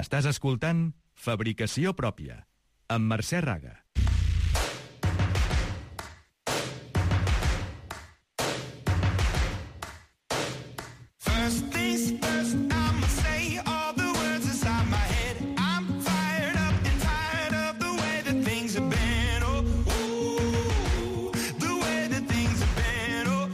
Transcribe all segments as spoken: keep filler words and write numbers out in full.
Estàs escoltant Fabricació Pròpia, amb Mercè Raga. First things first, I'ma say all the words inside my head. I'm fired up and tired of the way that things have been. Oh, ooh, the way that things have been. Oh,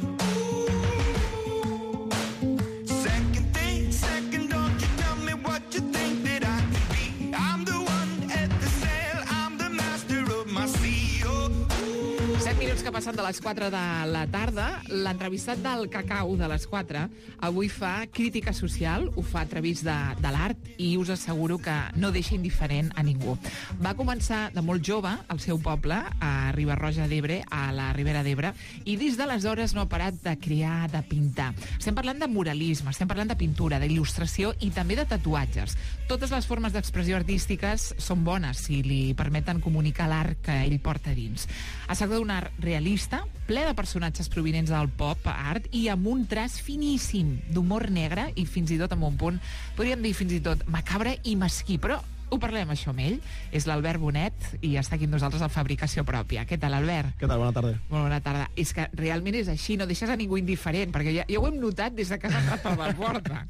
ooh. Second thing, second, don't you tell me what you think that I can be. I'm the one at the sail, I'm the master of my sea. Oh, ooh. set minuts que passen de les quatre de la tarda. L'entrevistat del Cacau de les quatre avui fa crítica social, ho fa a través de, de l'art, i us asseguro que no deixa indiferent a ningú. Va començar de molt jove al seu poble, a Riba-roja d'Ebre, a la Ribera d'Ebre, i des d'aleshores no ha parat de crear, de pintar. Estem parlant de muralisme, estem parlant de pintura, d'il·lustració i també de tatuatges. Totes les formes d'expressió artístiques són bones si li permeten comunicar l'art que ell porta dins. Es tracta d'un art realista, ple de personatges provinents del pop art i amb un traç finíssim d'humor negre i fins i tot amb un punt, podríem dir fins i tot macabre i mesquí, però ho parlem això amb ell. És l'Albert Bonet i està aquí amb nosaltres a Fabricació Pròpia. Què tal, Albert? Què tal? Bona tarda. Molt bona tarda. És que realment és així, no deixes a ningú indiferent, perquè ja, ja ho hem notat des de que has entrat per la porta.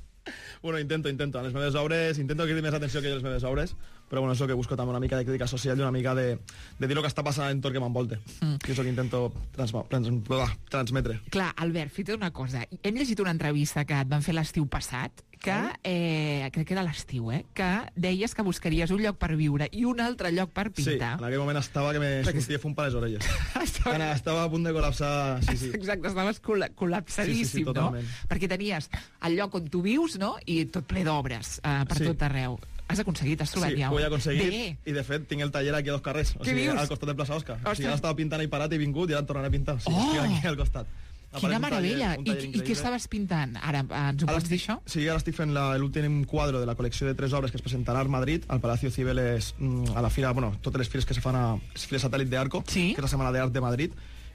Bueno, intento, intento. En les meves obres, intento que hi més atenció que jo a les meves obres, però bueno, és el que busco també una mica de crítica social i una mica de, de dir el que està passant a l'entorn que m'envolte. Mm. Que és el que intento trans, trans, transmetre. Clar, Albert, fixa't una cosa. Hem llegit una entrevista que et van fer l'estiu passat, que, eh, crec que era l'estiu, eh, que deies que buscaries un lloc per viure i un altre lloc per pintar. Sí, en aquell moment estava que me sortia fum per les orelles. estava... Anna, estava a punt de col·lapsar, sí, sí. Exacte, estaves col col·lapsadíssim, sí, sí, sí, no? Perquè tenies el lloc on tu vius, no?, i tot ple d'obres eh, per sí. tot arreu. Has aconseguit, has trobat sí, ja. Sí, ho he aconseguit, Bé. i de fet tinc el taller aquí a dos carrers, o Què sigui, dius? al costat de Plaça Oscar. Ostres. O sigui, ara estava pintant i parat i he vingut i ara em tornaré a pintar. O sigui, Oh! estic aquí al costat. Quina meravella! I, I què estaves pintant? Ara, ens ho Ara pots dir, estic, això? sí, ara estic fent la- l'últim quadre de la col·lecció de tres obres que es presentarà a Madrid, al Palacio Cibeles, mm, a la fira, bueno, totes les fires que se fan a Fira Satèl·lit d'Arco, Sí. que és la Setmana d'Art de Madrid,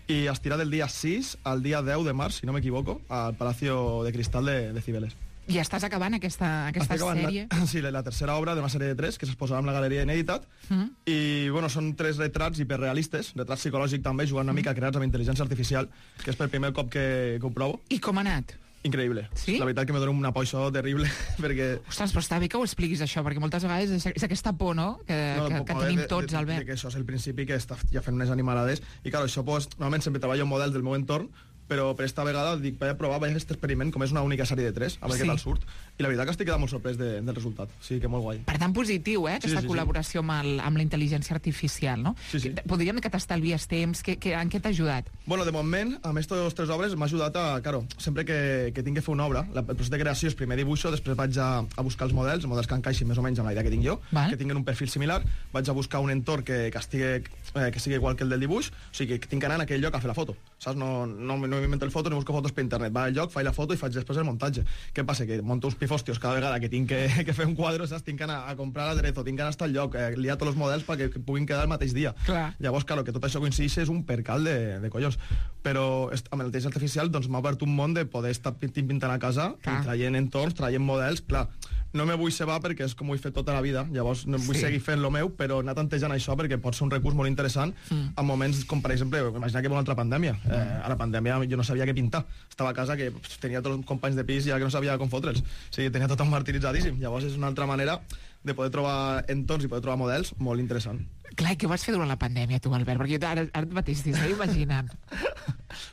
i es tirà del dia sis al dia deu de març, si no m'equivoco, al Palacio de Cristal de, de Cibeles. I estàs acabant aquesta, aquesta Estic acabant sèrie? La, sí, la, la tercera obra d'una sèrie de tres que s'exposarà amb la Galeria Inèditat, Mm. i bueno, són tres retrats hiperrealistes, retrats psicològics també, jugant una mica creats amb intel·ligència artificial, que és per primer cop que, que ho provo. I com ha anat? Increïble. Sí? La veritat que me dona una por això terrible, perquè... Ostres, però està bé que ho expliquis, això, perquè moltes vegades és, és aquesta por, no?, que, No, que, po- que poder tenim de, tots, de, Albert. de que això és el principi que està ja fent unes animalades, i clar, això pues, normalment sempre treballo amb models del meu entorn, però per esta vegada dic, vaig a provar, vaig a fer aquest experiment, com és una única sèrie de tres, a veure Sí. què tal surt, i la veritat que estic quedant molt sorprès de, del resultat, sí, que molt guai. Per tant, positiu, eh, aquesta sí, sí. col·laboració amb, el, amb la intel·ligència artificial, no? Sí, sí. Que- Podríem dir que t'estalvies temps, que, que, en què t'ha ajudat? Bueno, de moment, amb aquestes tres obres m'ha ajudat a, claro, sempre que, que tinc que fer una obra, la- el procés de creació és primer dibuixo, després vaig a, a buscar els models, els models que encaixin més o menys amb la idea que tinc jo, Val. que tinguin un perfil similar, vaig a buscar un entorn que, que, estigui, eh, que sigui igual que el del dibuix, o sigui, que tinc que anar en aquell lloc a fer la foto, saps? No, no, no m'invento el foto, no busco fotos per internet, va al lloc, faig la foto i faig després el muntatge. Què passa? Que monto uns pifostios cada vegada que tinc que, que fer un quadre, saps? Tinc que anar a comprar l'aderezo, tinc que anar hasta el lloc, eh, liar tots els models perquè que puguin quedar el mateix dia. Clar. Llavors, claro, que tot això coincideix és un percal de, de collons. Però est- amb l'intel·ligència artificial doncs, m'ha obert un món de poder estar pintint, pintant a casa, Clar. i traient entorns, traient models, clar. No me vull cebar perquè és com ho he fet tota la vida, llavors no vull Sí. seguir fent lo meu, però anar tantejant això perquè pot ser un recurs molt interessant Mm. en moments com, per exemple, imagina que hi ha una altra pandèmia. Eh, a la pandèmia jo no sabia què pintar. Estava a casa que pff, tenia tots els companys de pis i ja que no sabia com fotre'ls. O sigui, tenia tot martiritzadíssim. Llavors és una altra manera de poder trobar entorns i poder trobar models molt interessant. Clar, i què vas fer durant la pandèmia, tu, Albert? Perquè jo ara, ara mateix t'estava imaginant.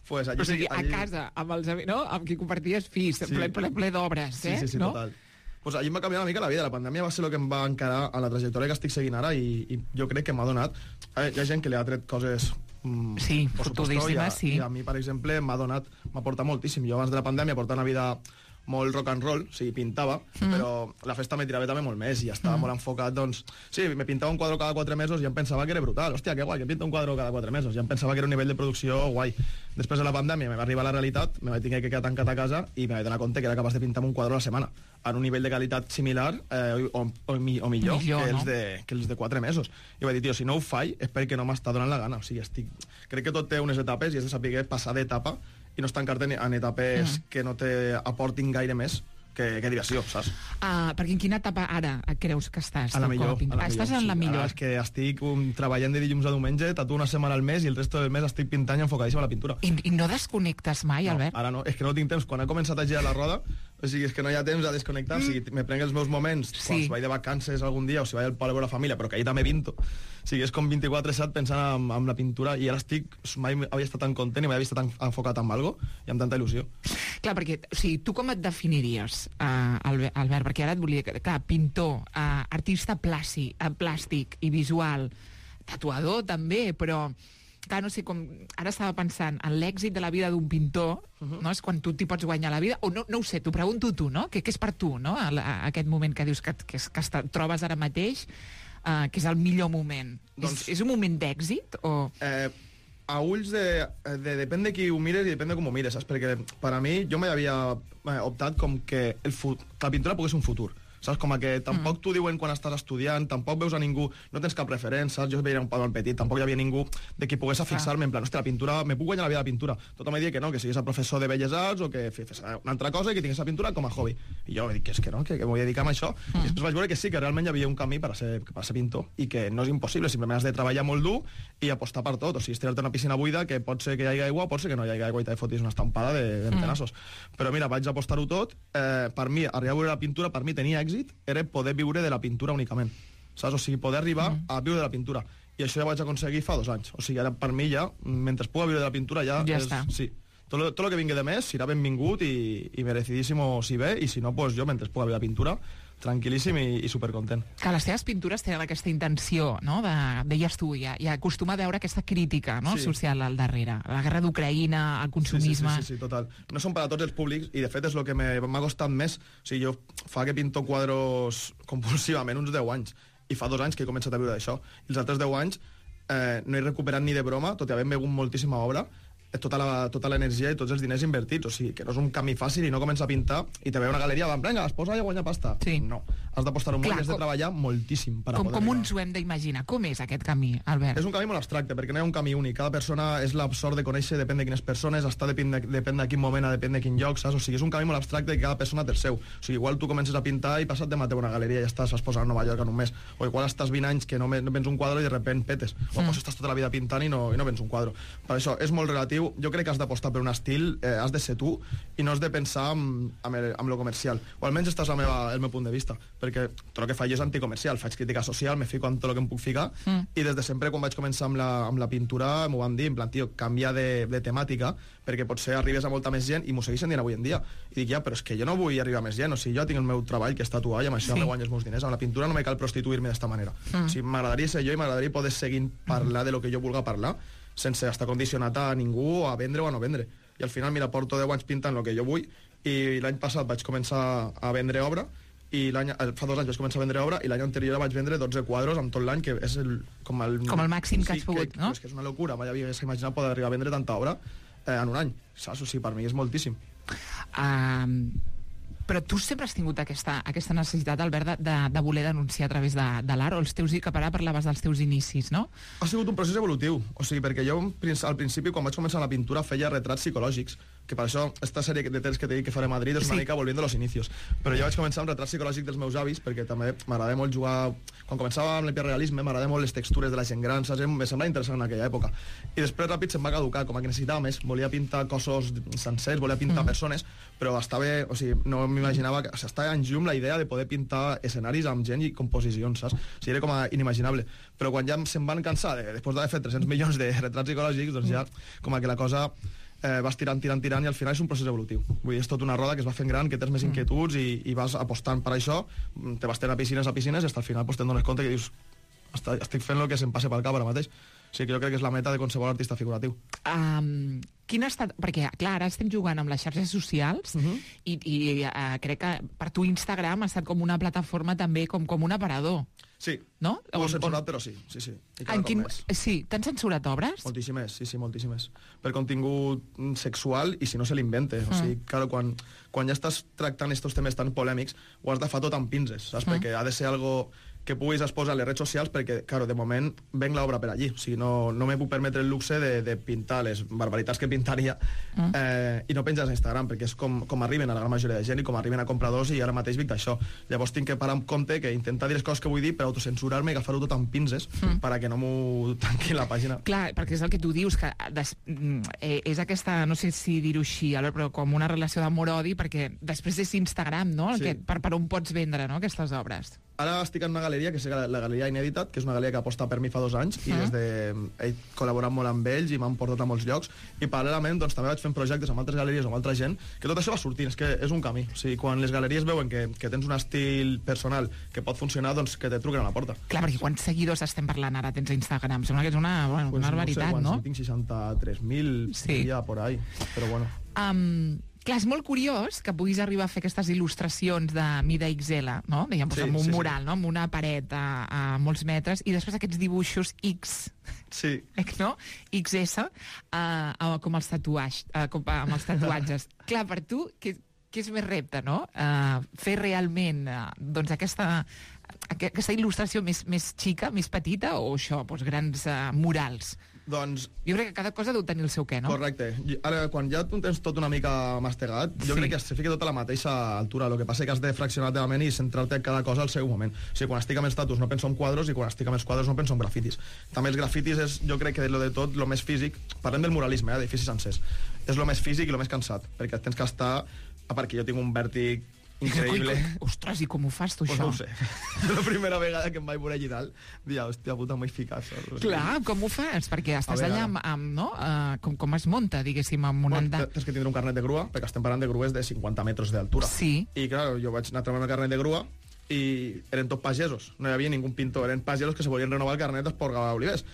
Pues allí, O sigui, a allí- casa, amb, els, ami- no? amb qui comparties pis, Sí. ple, ple, ple d'obres, Sí, eh? sí, sí, no? total. Pues allí em va canviar una mica la vida. La pandèmia va ser el que em va encarar a la trajectòria que estic seguint ara, i, i jo crec que m'ha donat... Eh, hi ha gent que li ha tret coses... Mm, Sí, por supuesto, fotudíssimes, i a, sí. I a mi, per exemple, m'ha donat... M'ha portat moltíssim. Jo abans de la pandèmia portava una vida molt rock and roll, o sigui, pintava, mm. però la festa me tirava també molt més i estava mm. molt enfocat, doncs... Sí, me pintava un quadre cada quatre mesos i em pensava que era brutal. Hòstia, que guai, que pinta un quadre cada quatre mesos. Ja em pensava que era un nivell de producció guai. Després de la pandèmia me va arribar la realitat, me vaig tenir que quedar tancat a casa i me vaig donar compte que era capaç de pintar un quadre a la setmana en un nivell de qualitat similar eh, o, o, o millor, Millor, que, els no? de, que els de quatre mesos. I vaig dir, tio, si no ho faig és perquè no m'està donant la gana. O sigui, estic... Crec que tot té unes etapes i has de saber passar d'etapa i no estancar-te en, en etapes Mm. que no te aportin gaire més, que, que diversió, saps? Uh, perquè en quina etapa ara creus que estàs? A la tu, millor. com a A la estàs millor, en la sí. millor. Ara és que estic um, treballant de dilluns a diumenge, tatuo una setmana al mes i el resto del mes estic pintant i enfocadíssim a la pintura. I, I no desconnectes mai, No, Albert? ara no, és que no tinc temps. Quan he començat a girar la roda, o sigui, és que no hi ha temps a desconnectar. Mm. O sigui, me prenc els meus moments, Sí. quan si vaig de vacances algun dia o si vaig al poble amb la família, però que ahir també pinto. O sigui, és com vint-i-quatre set pensant en, en la pintura i ara estic, mai havia estat tan content i mai havia estat tan enfocat en algo i amb tanta il·lusió. Clar, perquè, o sigui, tu com et definiries, uh, Albert, Albert? Perquè ara et volia dir, clar, pintor, uh, artista plàci, uh, plàstic i visual, tatuador també, però clar, no sé, com ara estava pensant en l'èxit de la vida d'un pintor, uh -huh. no? És quan tu t'hi pots guanyar la vida, o no, no ho sé, t'ho pregunto tu, no? Què, què és per tu, no? A, a aquest moment que dius que, que, que et trobes ara mateix, uh, que és el millor moment. Doncs... És, és un moment d'èxit o...? Eh, a ulls de, de... Depèn de qui ho mires i depèn de com ho mires, saps? Perquè per a mi, jo mai havia eh, optat com que, el fut... que la pintura pogués un futur. Saps? Com a que tampoc mm. t'ho diuen quan estàs estudiant, tampoc veus a ningú, no tens cap referent, saps? Jo veia un pavot petit, tampoc hi havia ningú de qui pogués fixar-me en plan, hòstia, la pintura, me puc guanyar la vida de la pintura. Tothom em deia que no, que sigués a professor de Belles Arts o que fes una altra cosa i que tingués la pintura com a hobby. I jo dic que és que no, que, que m'ho vull dedicar a això. Mm. I després vaig veure que sí, que realment hi havia un camí per a ser, per a ser pintor i que no és impossible, simplement has de treballar molt dur i apostar per tot. O sigui, estirar-te una piscina buida que pot ser que hi hagi aigua, pot ser que no hi hagi aigua i t'hi fotis una estampada de, de tenassos. Mm. Però mira, vaig apostar-ho tot. Eh, per mi, arribar a veure la pintura, per mi tenia èxit, era poder viure de la pintura únicament, saps? O sigui, poder arribar mm. a viure de la pintura. I això ja vaig aconseguir fa dos anys. O sigui, ara per mi ja, mentre puga viure de la pintura, ja, ja és... està. Sí. Tot el que vingui de més serà benvingut i, i merecidíssim si ve, i si no, pues jo, mentre puga viure de la pintura, tranquil·líssim i, i supercontent. Que les teves pintures tenen aquesta intenció, no? De, deies tu, ja, ja acostuma a veure aquesta crítica, no? Sí. social al darrere. La guerra d'Ucraïna, el consumisme... Sí, sí, sí, sí, sí, total. No són per a tots els públics i, de fet, és el que m'ha costat més. O sigui, jo fa que pinto quadros compulsivament uns deu anys i fa dos anys que he començat a viure d'això. I els altres deu anys eh, no he recuperat ni de broma, tot i haver begut moltíssima obra, tota la, tota l'energia i tots els diners invertits. O sigui, que no és un camí fàcil i no comença a pintar i te ve una galeria, van, vinga, es posa i a guanyar pasta. Sí. No. Has d'apostar un Clar, molt i has de com- treballar moltíssim per a Com, poder com arribar. ens ho hem d'imaginar? Com és aquest camí, Albert? És un camí molt abstracte, perquè no hi ha un camí únic. Cada persona és la sort de conèixer, depèn de quines persones, està depèn de, depèn de quin moment, depèn de quin lloc, saps? O sigui, és un camí molt abstracte i cada persona té el seu. O sigui, igual tu comences a pintar i passat demà té una galeria i ja estàs, vas posar a Nova York en un mes. O igual estàs vint anys que no, me- no vens un quadre i de repent petes. O mm. pues estàs tota la vida pintant i no, i no vens un quadre. Per això és molt relatiu. Jo crec que has d'apostar per un estil, eh, has de ser tu i no has de pensar amb, amb, el, amb lo comercial. O almenys estàs la meva, el meu punt de vista, perquè tot el que faig és anticomercial, faig crítica social, me fico en tot el que em puc ficar mm. i des de sempre quan vaig començar amb la, amb la pintura m'ho van dir, en plan, tio, canvia de, de temàtica perquè potser arribes a molta més gent i m'ho segueixen dient avui en dia. I dic, ja, però és que jo no vull arribar a més gent, o sigui, jo tinc el meu treball que és tatuar i amb això Sí. me guanyo els meus diners. Amb la pintura no me cal prostituir-me d'esta manera. Mm. O sigui, m'agradaria ser jo i m'agradaria poder seguir parlar de lo que jo vulga parlar sense estar condicionat a ningú, a vendre o a no vendre. I al final, mira, porto deu anys pintant el que jo vull i l'any passat vaig començar a vendre obra i l'any, fa dos anys vaig començar a vendre obra i l'any anterior vaig vendre dotze quadros amb tot l'any, que és el, com, el, Com el màxim que has pogut, que, no? És que és una locura, mai havia imaginat poder arribar a vendre tanta obra eh, en un any, saps? O sigui, per mi és moltíssim. Um, però tu sempre has tingut aquesta, aquesta necessitat, Albert, de, de, de voler denunciar a través de, de l'art, o els teus, que ara parlaves dels teus inicis, no? Ha sigut un procés evolutiu, o sigui, perquè jo al principi, quan vaig començar la pintura, feia retrats psicològics, que per això esta sèrie de temps que t'he dit que faré a Madrid és una Sí. mica volviendo a los inicios. Però jo vaig començar amb retrats psicològics dels meus avis, perquè també m'agradava molt jugar... Quan començava amb l'hiperrealisme m'agradava molt les textures de la gent gran, saps? Em semblava interessant en aquella època. I després ràpid se'm va caducar, com que necessitava més, volia pintar cossos sencers, volia pintar mm. persones, però estava, o sigui, no m'imaginava que... O sigui, estava en llum la idea de poder pintar escenaris amb gent i composicions, saps? O sigui, era com a inimaginable. Però quan ja se'm van cansar, de, després d'haver fet tres-cents milions de retrats psicològics, doncs ja com que la cosa eh, vas tirant, tirant, tirant, i al final és un procés evolutiu. Vull dir, és tota una roda que es va fent gran, que tens més inquietuds i, i vas apostant per això, te vas tenint a piscines a piscines i fins al final pues, te'n dones compte que dius estic fent el que se'm passe pel cap ara mateix. O sigui que jo crec que és la meta de qualsevol artista figuratiu. Um, quin ha estat... Perquè, clar, ara estem jugant amb les xarxes socials Uh-huh. i, i uh, crec que per tu Instagram ha estat com una plataforma també, com, com un aparador, Sí, no? ho he On- censurat, on- però sí, sí, sí. I cada En cop quin... més. Sí, t'han censurat obres? Moltíssimes, sí, sí, moltíssimes. Per contingut mm, sexual i si no se l'invente. O sigui, claro, quan, quan ja estàs tractant estos temes tan polèmics, ho has de fer tot amb pinces, saps? Mm. Perquè ha de ser algo que puguis exposar les redes socials, perquè, claro, de moment venc l'obra per allí. O sigui, no, no me puc permetre el luxe de, de pintar les barbaritats que pintaria mm. eh, i no penjar a Instagram, perquè és com, com arriben a la gran majoria de gent i com arriben a compradors, i ara mateix vic d'això. Llavors tinc que parar en compte, que intentar dir les coses que vull dir per autocensurar-me i agafar-ho tot amb pinces mm. perquè no m'ho tanqui la pàgina. Clar, perquè és el que tu dius, que des, eh, és aquesta, no sé si dir-ho així, però com una relació d'amor-odi, perquè després és Instagram, no? Sí. Que, per, per on pots vendre, no?, aquestes obres. Ara estic en una galeria, que és la Galeria Inèditat, que és una galeria que aposta per mi fa dos anys, i des de... he col·laborat molt amb ells i m'han portat a molts llocs, i paral·lelament doncs, també vaig fent projectes amb altres galeries o amb altra gent, que tot això va sortint, és que és un camí. O sigui, quan les galeries veuen que, que tens un estil personal que pot funcionar, doncs que te truquen a la porta. Clar, perquè quants seguidors estem parlant ara tens a Instagram? Sembla que és una, bueno, pues una barbaritat, no? Sé, no? Tinc seixanta-tres mil sí. ja por ahí, però bueno. Um, clar, és molt curiós que puguis arribar a fer aquestes il·lustracions de mida X L, no? Dèiem, sí, amb un sí, mural, sí. no? Amb una paret a, a molts metres, i després aquests dibuixos X, sí. no? X S, uh, com els tatuatges, uh, com, uh, amb els tatuatges. Clar, per tu, què, què és més repte, no? Uh, fer realment uh, doncs aquesta, aquesta il·lustració més, més xica, més petita, o això, doncs, grans uh, murals? Doncs... Jo crec que cada cosa deu tenir el seu què, no? Correcte. Ara, quan ja tu tens tot una mica mastegat, jo sí. crec que se fica tot a la mateixa altura. El que passa és que has de fraccionar la ment i centrar-te en cada cosa al seu moment. O sigui, quan estic amb els tatus no penso en quadros, i quan estic amb els quadros no penso en grafitis. També els grafitis és, jo crec que de lo de tot, lo més físic, parlem del muralisme, eh, d'edificis sencers, és lo més físic i lo més cansat, perquè tens que estar... A part que jo tinc un vèrtic increïble. Ostres, i com ho fas tu, pues això? No ho sé. La primera vegada que em vaig veure allà i tal, dia, hòstia puta, m'he ficat. Clar, com ho fas? Perquè estàs allà amb, amb no? Uh, com, com es monta, diguéssim, amb un bueno, andat... Tens que tindre un carnet de grua, perquè estem parlant de grues de cinquanta metres d'altura. Sí. I, clar, jo vaig anar a treure el carnet de grua i eren tots pagesos, no hi havia ningú pintor, eren pagesos que se volien renovar el carnet per Olivers.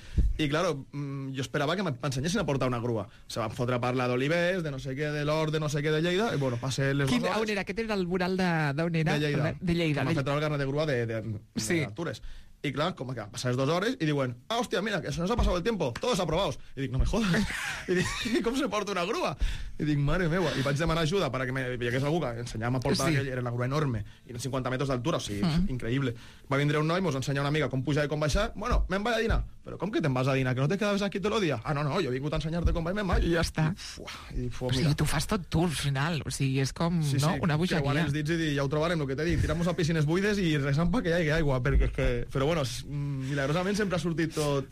I, clar, jo esperava que m'ensenyessin a portar una grua. Se van fotre a parlar d'Olivers, de no sé què, de l'Hort, de no sé què, de Lleida, i, bueno, passé les Quin, dues hores... On era? Aquest era el mural d'on era? De Lleida. De Lleida. M'ha fet treure el carnet de grua d'Altures. Sí. I, clar, com que passades dues hores i diuen, ah, hòstia, mira, que se nos ha pasado el tiempo, todos aprobados. I dic, no me jodas. I dic, com se porta una grua? I dic, mare meva. I vaig demanar ajuda perquè me hi hagués algú que ensenyàvem a portar, sí. Era una grua enorme, i en cinquanta metres d'altura, o sigui, mm. increïble. Va vindre un noi, mos ensenyar una mica com pujar i com baixar. Bueno, me'n vaig a dinar. Però com que te'n vas a dinar? Que no te quedaves aquí tot el dia? Ah, no, no, jo he vingut a ensenyar-te com vaig, me'n vaig. I ja està. I dic, o sigui, tu fas tot tu, al final. O sigui, és com, sí, no?, sí. una bogeria. Creuant els dits i dir, ja ho trobarem, el que t'he dit. Tiramos a piscines buides i resant pa que hi hagi aigua, perquè és que... Però bueno, milagrosament sempre ha sortit tot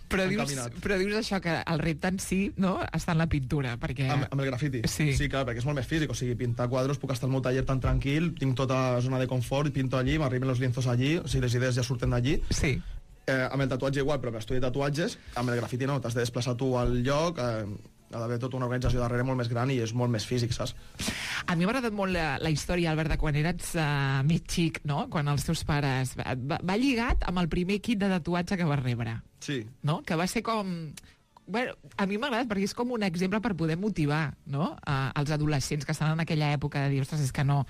però dius, però dius això, que el repte en si, no?, està en la pintura, perquè... Amb, amb el grafiti? Sí. Sí, clar, perquè és molt més físic, o sigui, pintar quadros, puc estar al meu taller tan tranquil, tinc tota la zona de confort, pinto allí, m'arriben els lienzos allí, o sigui, les idees ja surten d'allí. Sí. Eh, amb el tatuatge igual, però que estudi tatuatges, amb el grafiti no, t'has de desplaçar tu al lloc, eh, ha d'haver tota una organització darrere molt més gran i és molt més físic, saps? A mi m'ha agradat molt la, la història, Albert, de quan eres uh, més xic, no?, quan els teus pares... Va, va lligat amb el primer kit de tatuatge que vas rebre. Sí. No?, que va ser com... Bueno, a mi m'ha agradat perquè és com un exemple per poder motivar, no?, uh, els adolescents que estan en aquella època de dir, ostres, és que no...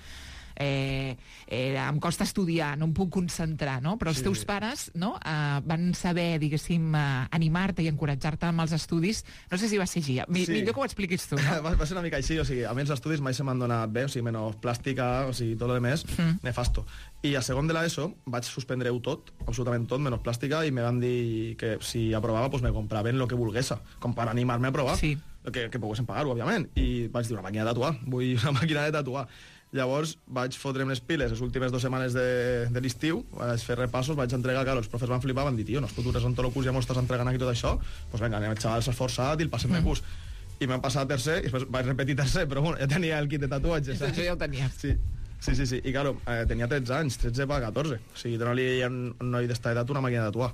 Eh, eh, em costa estudiar, no em puc concentrar, no? Però els sí. teus pares, no?, eh, van saber, diguéssim, eh, animar-te i encoratjar-te amb els estudis. No sé si va ser així. Mi, sí. Millor que ho expliquis tu, no? va, va ser una mica així, o sigui, a mi els estudis mai se m'han donat bé, o sigui, menys plàstica, o sigui, tot el més, mm. nefasto. I a segon de l'ESO vaig suspendre-ho tot, absolutament tot, menys plàstica, i me van dir que si aprovava, pues me compraven lo que volgués, com per animar-me a provar. Sí. Que, que poguessin pagar-ho, òbviament. I vaig dir, una màquina de tatuar, vull una màquina de tatuar. Llavors vaig fotre'm les piles les últimes dues setmanes de, de l'estiu, vaig fer repassos, vaig entregar, que els profes van flipar, van dir, tio, no es fotures en tot el curs, ja m'ho estàs entregant aquí tot això, doncs pues vinga, anem, el xaval s'ha esforçat i el passem mm. de curs. I m'han passat a tercer, i després vaig repetir tercer, però bueno, ja tenia el kit de tatuatges. Això ja ho tenies. Sí, sí, sí, sí. I claro, eh, tenia tretze anys, tretze per catorze. O sigui, donar-li a un noi d'esta edat una màquina de tatuar.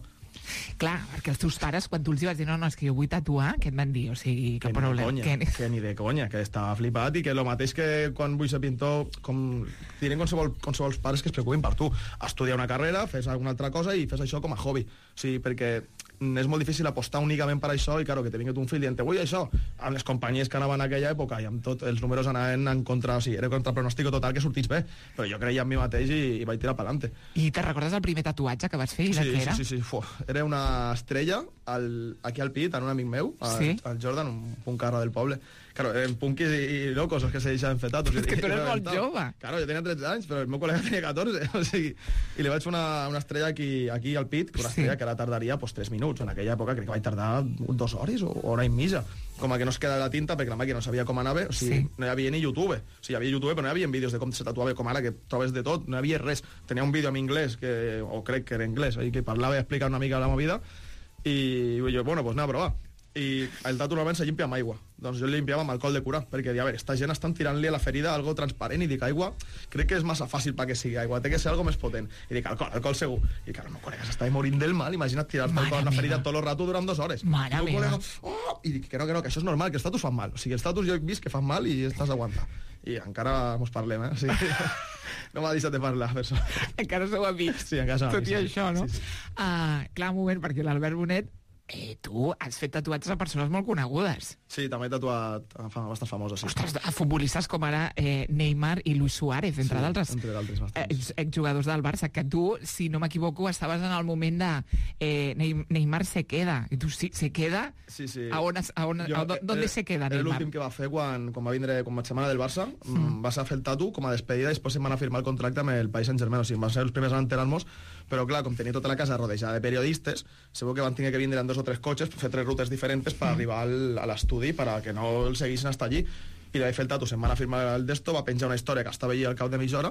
Clar, perquè els teus pares, quan tu els vas dir no, no, és que jo vull tatuar, què et van dir? O sigui, que, que que problema. Ni de conya, que... que ni de conya, que estava flipat i que el mateix que quan vull ser pintor, com direm qualsevol, qualsevol pares que es preocupin per tu. Estudiar una carrera, fes alguna altra cosa i fes això com a hobby. O sigui, perquè és molt difícil apostar únicament per això, i claro, que te vingut un fill dient, vull això, amb les companyies que anaven en aquella època i amb tot els números anaven en contra, o sigui, era contra pronòstico total que sortís bé, però jo creia en mi mateix i, i vaig tirar per l'ante. I te recordes el primer tatuatge que vas fer i de Sí, què era? sí, sí, sí. Fu, era una estrella al, aquí al pit, en un amic meu, al, Sí? al Jordan, un puncarra del poble. Claro, eren punquis i, i locos els que se deixaven fer tatus. És que I- tu i eres molt reventava. jove. Claro, jo tenia tretze anys, però el meu col·lega tenia catorze. O sigui, i li vaig fer una, una estrella aquí, aquí al pit, una Sí. estrella que ara tardaria pues, tres minuts. En aquella època crec que vaig tardar dues hores o hora i mitja. Com a que no es queda la tinta, perquè la màquina no sabia com anava. O sigui, Sí. no hi havia ni YouTube. O sigui, hi havia YouTube, però no hi havia vídeos de com se tatuava com ara, que trobes de tot. No hi havia res. Tenia un vídeo en anglès, que, o crec que era anglès, i que parlava i explicava una mica la movida, i jo, bueno, doncs anem a provar. I el tatu normalment se llimpia amb aigua. Doncs jo el limpiava amb alcohol de cura, perquè dia, a veure, esta gent estan tirant-li a la ferida algo transparent, i dic, aigua, crec que és massa fàcil perquè sigui aigua, té que ser algo més potent. I dic, alcohol, alcohol segur. I clar, el meu col·lega s'estava morint del mal, imagina't tirar-te Mare alcohol a la ferida meva. tot el rato durant dues hores. Mare I el meu meva. col·lega, oh! I dic que no, que no, que això és normal, que els tatus fan mal. O sigui, els tatus jo he vist que fan mal i estàs aguantant. I encara mos parlem, eh? O sigui, no m'ha deixat de parlar, per això. Encara sou amics. Sí, encara som Tot amics, i sí. això, no? Sí, sí. Uh, clar, un moment, perquè l'Albert Bonet, eh, tu has fet tatuatges a persones molt conegudes. Sí, també he tatuat a fam- bastant famoses, sí. Ostres, a futbolistes com ara eh, Neymar i Luis Suárez, entre Sí, d'altres. entre d'altres, bastants. ex- exjugadors del Barça, que tu, si no m'equivoco, estaves en el moment de eh, Ney- Neymar se queda. I tu, sí, se queda? Sí, sí. A on, es- a on, Jo, a, on, ¿Dónde era- se queda Era Neymar? l'últim que va fer quan, quan va vindre com a setmana del Barça. Mm. Va ser a fer el tatu com a despedida i després em van a firmar el contracte amb el Paris Saint-Germain. O sigui, van ser els primers a enterar-nos, però clar, com tenia tota la casa rodejada de periodistes, segur que van tenir que vindre en dos o tres cotxes, fer tres rutes diferents per arribar al, a l'estudi, per a que no el seguissin hasta allí. I li vaig fer el tatu, se'm van a firmar el d'esto, va penjar una història que estava allí al cap de mitja hora,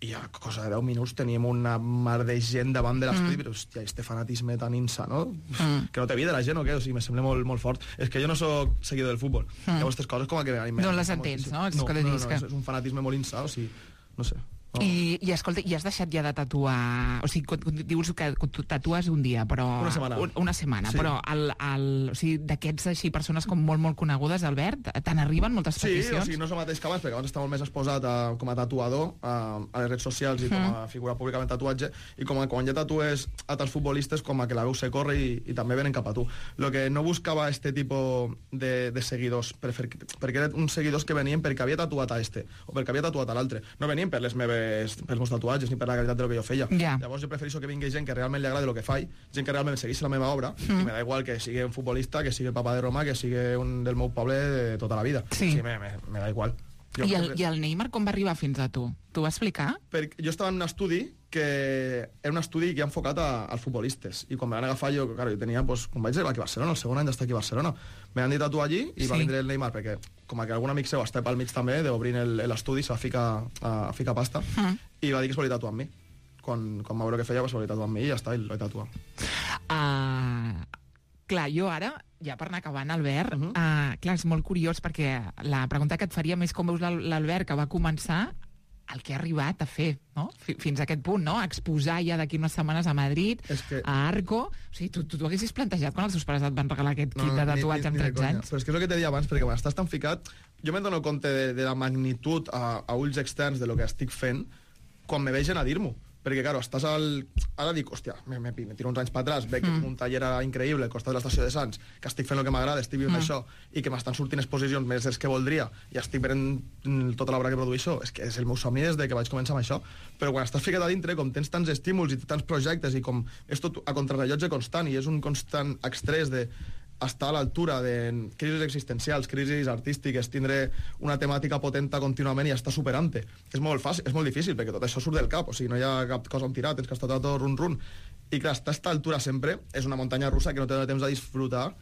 i a cosa de deu minuts teníem una mar de gent davant de l'estudi, mm. però hòstia, este fanatisme tan insano, mm. que no té vida la gent o què? O sigui, me sembla molt, molt fort. És que jo no sóc seguidor del futbol. Mm. Llavors, aquestes coses com a que m'animen. No les entens, no? És No, que no, no, dius no, que- és, és un fanatisme molt insà, o sigui, no sé. No. I, I, escolta, i has deixat ja de tatuar... O sigui, quan, quan dius que tu tatues un dia, però... Una setmana. Un, una setmana, Sí. però el, el, o sigui, d'aquests així, persones com molt, molt conegudes, Albert, te n'arriben moltes Sí, peticions? o sigui, no és el mateix que abans, perquè abans estava molt més exposat a, com a tatuador a, a les redes socials i com a figura pública en tatuatge, i com a, quan ja tatues a tants futbolistes, com a que la veu se corre i, i també venen cap a tu. Lo que no buscava este tipus de, de seguidors, per fer, perquè eren uns seguidors que venien perquè havia tatuat a este, o perquè havia tatuat a l'altre. No venien per les meves, pels meus tatuatges ni per la qualitat de lo que jo feia. Ja. Llavors jo prefereixo que vingui gent que realment li agrada el que faig, gent que realment segueix la meva obra, mm. i me da igual que sigui un futbolista, que sigui el papa de Roma, que sigui un del meu poble de tota la vida. Sí. O sigui, me, me, me da igual. Jo, I el, I el Neymar com va arribar fins a tu? T'ho va explicar? perquè jo estava en un estudi que era un estudi que ha enfocat a, als futbolistes, i quan me van agafar jo, claro, jo tenia, pues, quan vaig arribar aquí a Barcelona, el segon any d'estar aquí a Barcelona, me van dir tatuar allí i Sí. va vindre el Neymar, perquè com que algun amic seu està pel mig també d'obrir l'estudi, se va ficar, a, a ficar pasta, Mm. i va dir que es volia tatuar amb mi. Quan, quan va veure què feia, va volia tatuar amb mi i ja està, i el vaig tatuar. Uh, clar, jo ara, ja per anar acabant, Albert, uh Mhm. -huh. uh, clar, és molt curiós perquè la pregunta que et faríem és com veus l'Al- l'Albert que va començar el que ha arribat a fer, no? Fi- Fins a aquest punt, no? A exposar ja d'aquí unes setmanes a Madrid, És que- a Arco... O sigui, tu tu t'ho haguessis plantejat quan els teus pares et van regalar aquest kit de ni- tatuatge ni- amb ni de tretze conya. anys? Però és que és el que t'he dit abans, perquè quan estàs tan ficat, jo me'n dono compte de, de la magnitud a, a ulls externs de lo que estic fent quan me vegen a dir-m'ho. Perquè, claro, estàs al... Ara dic, hòstia, me, me, me tiro uns anys per atrás, veig mm. un taller increïble al costat de l'estació de Sants, que estic fent el que m'agrada, estic vivint mm. això, i que m'estan sortint exposicions més dels que voldria, i estic venent mm, tota l'obra que produeixo. És que és el meu somni des de que vaig començar amb això. Però quan estàs ficat a dintre, com tens tants estímuls i tants projectes, i com és tot a contrarrellotge constant, i és un constant estrès de estar a l'altura de crisis existencials, crisis artístiques, tindre una temàtica potenta contínuament i estar superant-te. És molt fàcil, és molt difícil, perquè tot això surt del cap, o sigui, no hi ha cap cosa on tirar, tens que estar tot run-run. I clar, estar a aquesta altura sempre és una muntanya russa que no té temps de disfrutar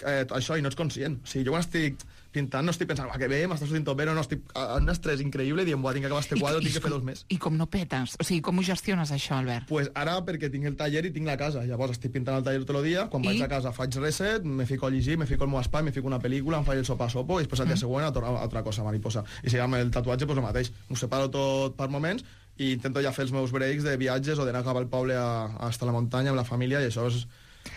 eh, això, i no ets conscient. O sigui, jo quan estic pintant no estic pensant, va, que bé, m'està sortint tot bé, no, no, estic en un estrès increïble i dient, buah, tinc que acabar este quadre, tinc que fer dos més. I com no petes? O sigui, com ho gestiones, això, Albert? Pues ara perquè tinc el taller i tinc la casa. Llavors estic pintant el taller tot el dia, quan I? vaig a casa faig reset, me fico a llegir, me fico al meu espai, me fico una pel·lícula, em faig el sopa a sopo i després el dia següent a tornar a altra cosa, mariposa. I si amb el tatuatge, pues el mateix. M'ho separo tot per moments i intento ja fer els meus breaks de viatges o d'anar cap al poble a, a estar a la muntanya amb la família, i això és...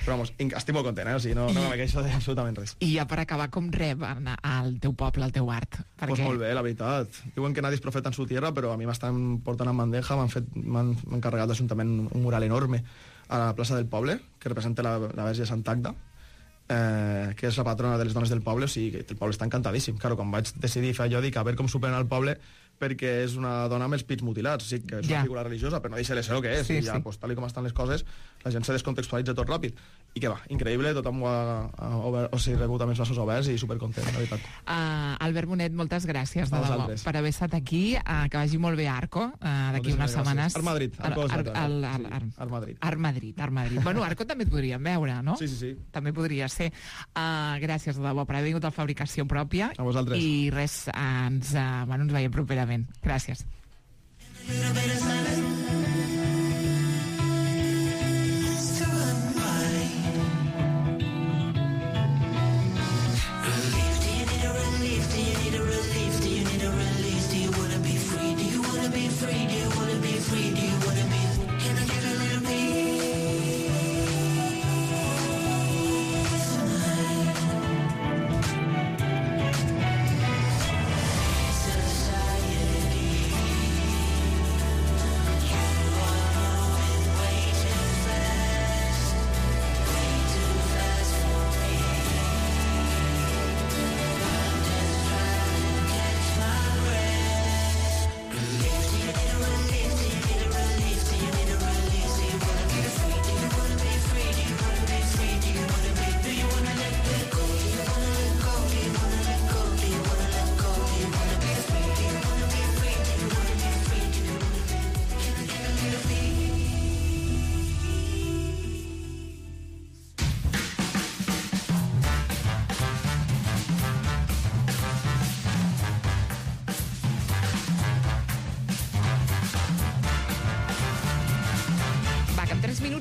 Però, vamos, inc- estic molt content, eh? O sigui, no, no me queixo d'absolutament res. I ja per acabar, com reben al teu poble, el teu art? Perquè... Pues molt bé, la veritat. Diuen que nadie es profeta en su tierra, però a mi m'estan portant en bandeja, m'han fet, m'han m'han encarregat l'Ajuntament un mural enorme a la plaça del poble, que representa la, la Verge de Sant Agda, eh, que és la patrona de les dones del poble, o sigui que el poble està encantadíssim. Claro, quan vaig decidir fer allò, dic a veure com superen al poble, perquè és una dona amb els pits mutilats, o sigui que és una Ja. figura religiosa, però no deixa de ser el que és, Sí, i ja, sí. pues, tal com estan les coses, la gent se descontextualitza tot ràpid. I que va, increïble, tothom ho ha, ha obert, o sigui, rebut amb els braços oberts i supercontent, la veritat. Uh, Albert Bonet, moltes gràcies de A debò vosaltres. per haver estat aquí, uh, que vagi molt bé Arco, uh, d'aquí Moltíssimes unes gràcies. setmanes. Ar Madrid, Arco és Ar, l'altre, Ar, eh? Ar, Sí, Ar, Ar Madrid. Ar Madrid, Ar Madrid. Bueno, Arco també et podríem veure, no? Sí, sí, sí. També podria ser. Uh, gràcies de debò per haver vingut a Fabricació Pròpia. A vosaltres. I res, uh, ens, uh, bueno, ens veiem properament. Gràcies.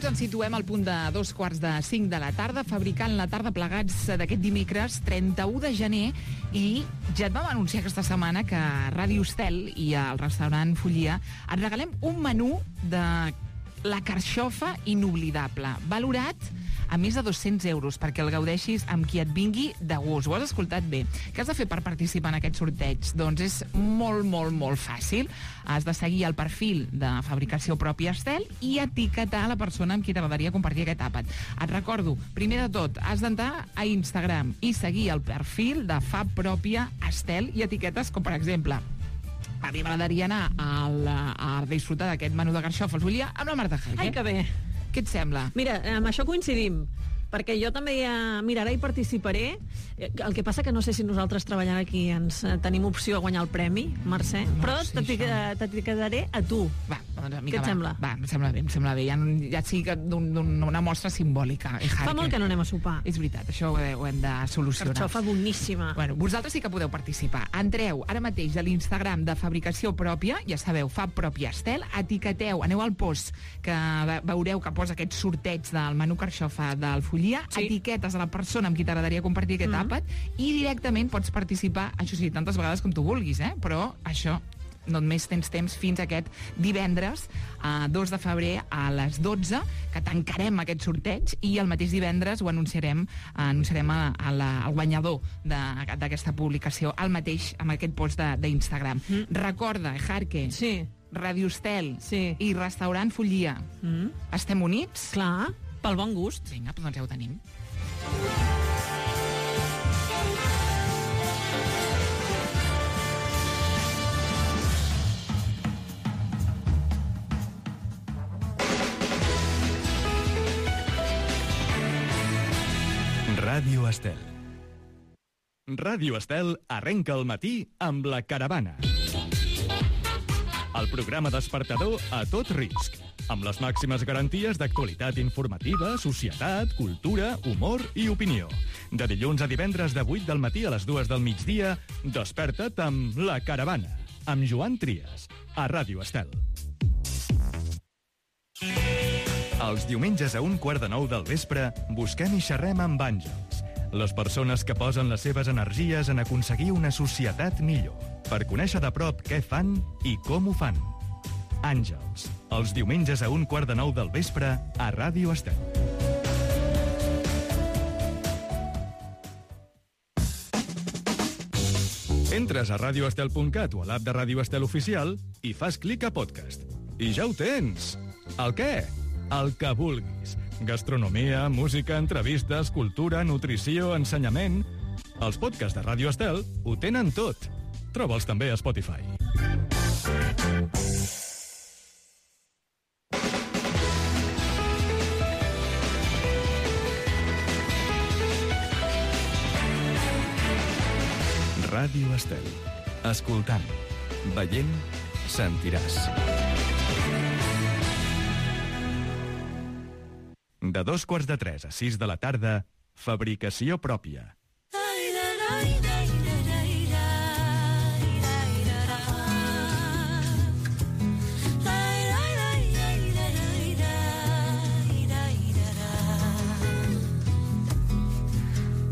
Ens situem al punt de dos quarts de cinc de la tarda, fabricant la tarda plegats d'aquest dimecres trenta-u de gener, i ja et vam anunciar aquesta setmana que a Ràdio Estel i al restaurant Follia et regalem un menú de la carxofa inoblidable, valorat a més de dos-cents euros, perquè el gaudeixis amb qui et vingui de gust. Ho has escoltat bé. Què has de fer per participar en aquest sorteig? Doncs és molt, molt, molt fàcil. Has de seguir el perfil de Fabricació Pròpia Estel i etiquetar la persona amb qui t'agradaria compartir aquest àpat. Et recordo, primer de tot, has d'entrar a Instagram i seguir el perfil de Fab Pròpia Estel i etiquetes com, per exemple, a mi m'agradaria anar al, a disfrutar d'aquest menú de carxofa al Follia amb la Marta Jaque. Ai, que bé. Què et sembla? Mira, amb això coincidim, perquè jo també ja miraré i participaré. El que passa que no sé si nosaltres treballant aquí ens eh, tenim opció a guanyar el premi, Mercè, No, però sí, t'etic- això. t'etiquetaré a tu. Va, doncs, amiga, Què et va. sembla? Va, em sembla bé, em sembla bé. Ja, ja sigui que d'un- d'una mostra simbòlica. Eh, Fa molt que no anem a sopar. És veritat, això ho, he- ho hem de solucionar. Carxofa boníssima. Bueno, vosaltres sí que podeu participar. Entreu ara mateix a l'Instagram de Fabricació Pròpia, ja sabeu, Fab Pròpia Estel, etiqueteu, aneu al post que ve- veureu que posa aquest sorteig del menú carxofa del Follia, Sí. etiquetes a la persona amb qui t'agradaria compartir aquest Mm. àpat i directament pots participar, això sí, tantes vegades com tu vulguis, eh? Però això només tens temps fins aquest divendres, a dos de febrer a les dotze, que tancarem aquest sorteig, i el mateix divendres ho anunciarem, anunciarem a, a la, al guanyador de- d'aquesta publicació, al mateix, amb aquest post de- d'Instagram. Mm. Recorda, Jarque, Sí, Ràdio Estel Sí. i Restaurant Follia. mm. Estem units? clar, pel bon gust. Vinga, doncs ja ho tenim. Ràdio Estel. Ràdio Estel arrenca el matí amb La Caravana. El programa despertador a tot risc, amb les màximes garanties d'actualitat informativa, societat, cultura, humor i opinió. De dilluns a divendres de vuit del matí a les dues del migdia, desperta't amb La Caravana, amb Joan Trias, a Ràdio Estel. Els diumenges a un quart de nou del vespre busquem i xerrem amb àngels, les persones que posen les seves energies en aconseguir una societat millor, per conèixer de prop què fan i com ho fan. Àngels, els diumenges a un quart de nou del vespre a Ràdio Estel. Entres a radioestel punt cat o a l'app de Ràdio Estel Oficial i fas clic a podcast. I ja ho tens! El què? el que vulguis. Gastronomia, música, entrevistes, cultura, nutrició, ensenyament... Els podcasts de Ràdio Estel ho tenen tot. Troba'ls també a Spotify. Ràdio Estel. Escoltant, veient, sentiràs. De dos quarts de tres a sis de la tarda, fabricació pròpia.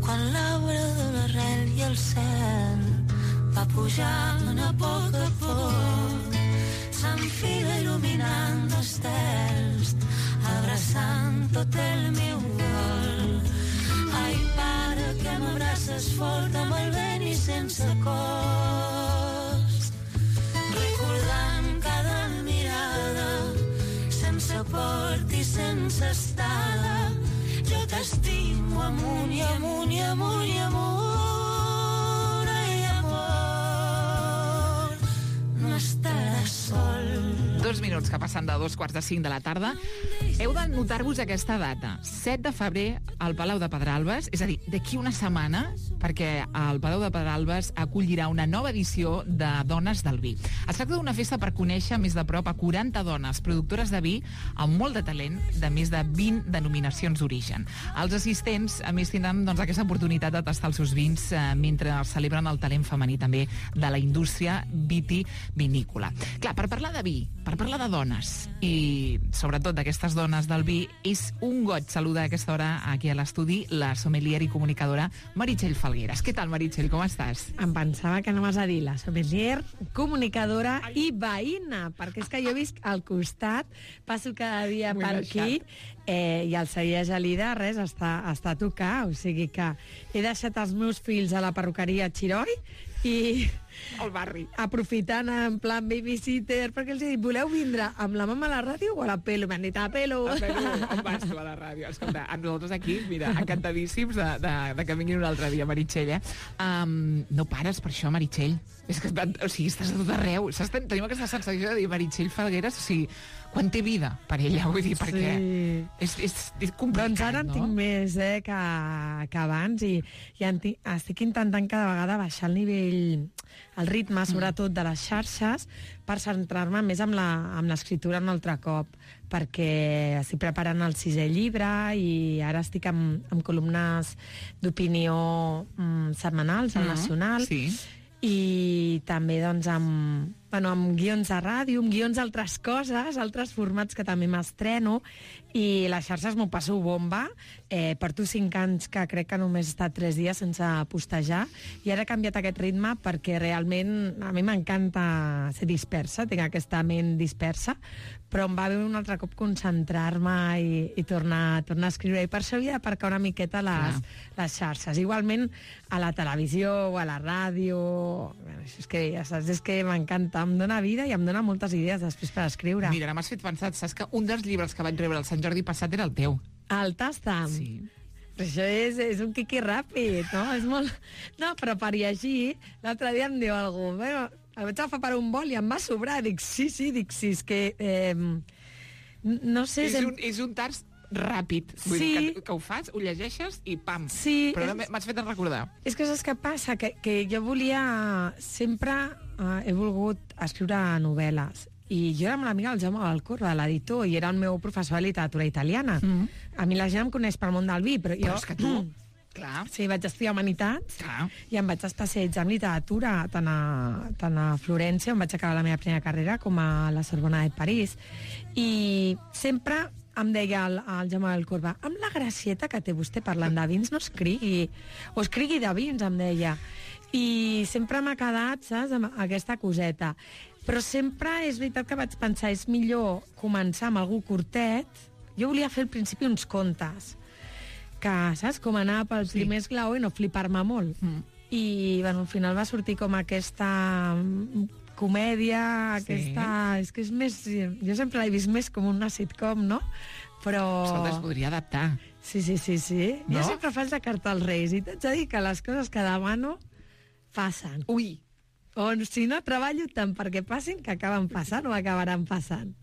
Quan l'arbre de l'arrel i el cel va pujant a poc a poc, s'enfila il·luminant estels, abraçant tot el meu cor. Ai, pare, que m'abraces fort amb el vent i sense cost, recordant cada mirada, sense port i sense estada. Jo t'estimo amunt i amunt i amunt i amunt. Ai, amor, no estaràs sol. Dos minuts que passen de dos quarts de cinc de la tarda. Heu de notar-vos aquesta data. set de febrer, al Palau de Pedralbes, és a dir, d'aquí una setmana, perquè el Palau de Pedralbes acollirà una nova edició de Dones del Vi. Es tracta d'una festa per conèixer més de prop a quaranta dones productores de vi amb molt de talent, de més de vint denominacions d'origen. Els assistents, a més, tindran doncs, aquesta oportunitat de tastar els seus vins eh, mentre celebren el talent femení també de la indústria vitivinícola. Clar, per parlar de vi, per parlar de dones i sobretot d'aquestes dones del vi, és un goig saludar a aquesta hora aquí a l'estudi la sommelier i comunicadora Meritxell Falgueras. Què tal, Meritxell, com estàs? Em pensava que no m'has a dir la sommelier, comunicadora i veïna, perquè és que jo visc al costat, passo cada dia M'ho he per aquí, eh, i el Celler Gelida, res, està, està a tocar, o sigui que he deixat els meus fills a la perruqueria Xiroi i al barri. aprofitant en plan babysitter, perquè els he dit, voleu vindre amb la mama a la ràdio o a la pelo? M'han dit, a la pelo. A pelo, on vas tu a la ràdio? Escolta, a nosaltres aquí, mira, encantadíssims de, de, de que vinguin un altre dia, Meritxell, eh? Um, no pares per això, Meritxell. És que, o sigui, estàs a tot arreu. Saps? Tenim aquesta sensació de dir Meritxell Falgueras, o sigui, quan té vida per ella, vull dir, perquè Sí. és, és, és complicat, Doncs ara en no? tinc més eh, que, que abans i, i en tinc, estic intentant cada vegada baixar el nivell, el ritme, sobretot de les xarxes, per centrar-me més amb la- amb l'escriptura un altre cop, perquè estic preparant el sisè llibre i ara estic amb, amb columnes d'opinió mm, setmanals al Mhm, Nacional. sí. I també doncs amb, bueno, amb guions de ràdio, amb guions d'altres coses, altres formats que també m'estreno, i les xarxes m'ho passo bomba. Eh, porto cinc anys que crec que només he estat tres dies sense postejar, i ara he canviat aquest ritme perquè realment a mi m'encanta ser dispersa, tinc aquesta ment dispersa, però em va bé un altre cop concentrar-me i, i tornar, tornar a escriure, i per això havia d'aparcar una miqueta les, les xarxes. Igualment a la televisió o a la ràdio, bueno, això és que ja saps, és que m'encanta, em dóna vida i em dona moltes idees després per escriure. Mira, m'has fet pensar, saps que un dels llibres que vaig rebre el Sant Jordi passat era el teu. El Tastam. Sí. Però això és, és un quiqui ràpid, no? És molt... No, però per llegir, l'altre dia em diu algú, bueno, el vaig agafar per un bol i em va sobrar. Dic, sí, sí, dic, sí, és que... Eh, no sé... És sem- un, és un tars ràpid. Vull Sí. dir, que, que ho fas, ho llegeixes i pam. Sí, Però és- m'has fet recordar. És que saps què passa? Que, que jo volia... Sempre eh, he volgut escriure novel·les. I jo era molt amiga del Jaume Valcorba, de l'editor, i era el meu professor de literatura italiana. Mm. A mi la gent em coneix pel món del vi, però jo... Però és que tu... Clar. Sí, vaig estudiar Humanitats Clar. i em vaig especialitzar en literatura, tant a, tant a Florència, on vaig acabar la meva primera carrera, com a la Sorbona de París. I sempre em deia el, el Jaume Valcorba, amb la gracieta que té vostè parlant de vins, no escrigui, o escrigui de vins, em deia. I sempre m'ha quedat, saps, amb aquesta coseta. Però sempre és veritat que vaig pensar, és millor començar amb algú curtet. Jo volia fer al principi uns contes, que, saps, com anar pel Sí. primer esglaó i no flipar-me molt. Mm. I, bueno, al final va sortir com aquesta mm, comèdia, Sí. aquesta... És que és més... Jo sempre l'he vist més com una sitcom, no? però... Escolta, es podria adaptar. Sí, sí, sí, sí. No? Jo sempre faig de carta als Reis i t'haig de dir que les coses que demano passen. Ui, O si no, treballo tant perquè passin que acaben passant o acabaran passant.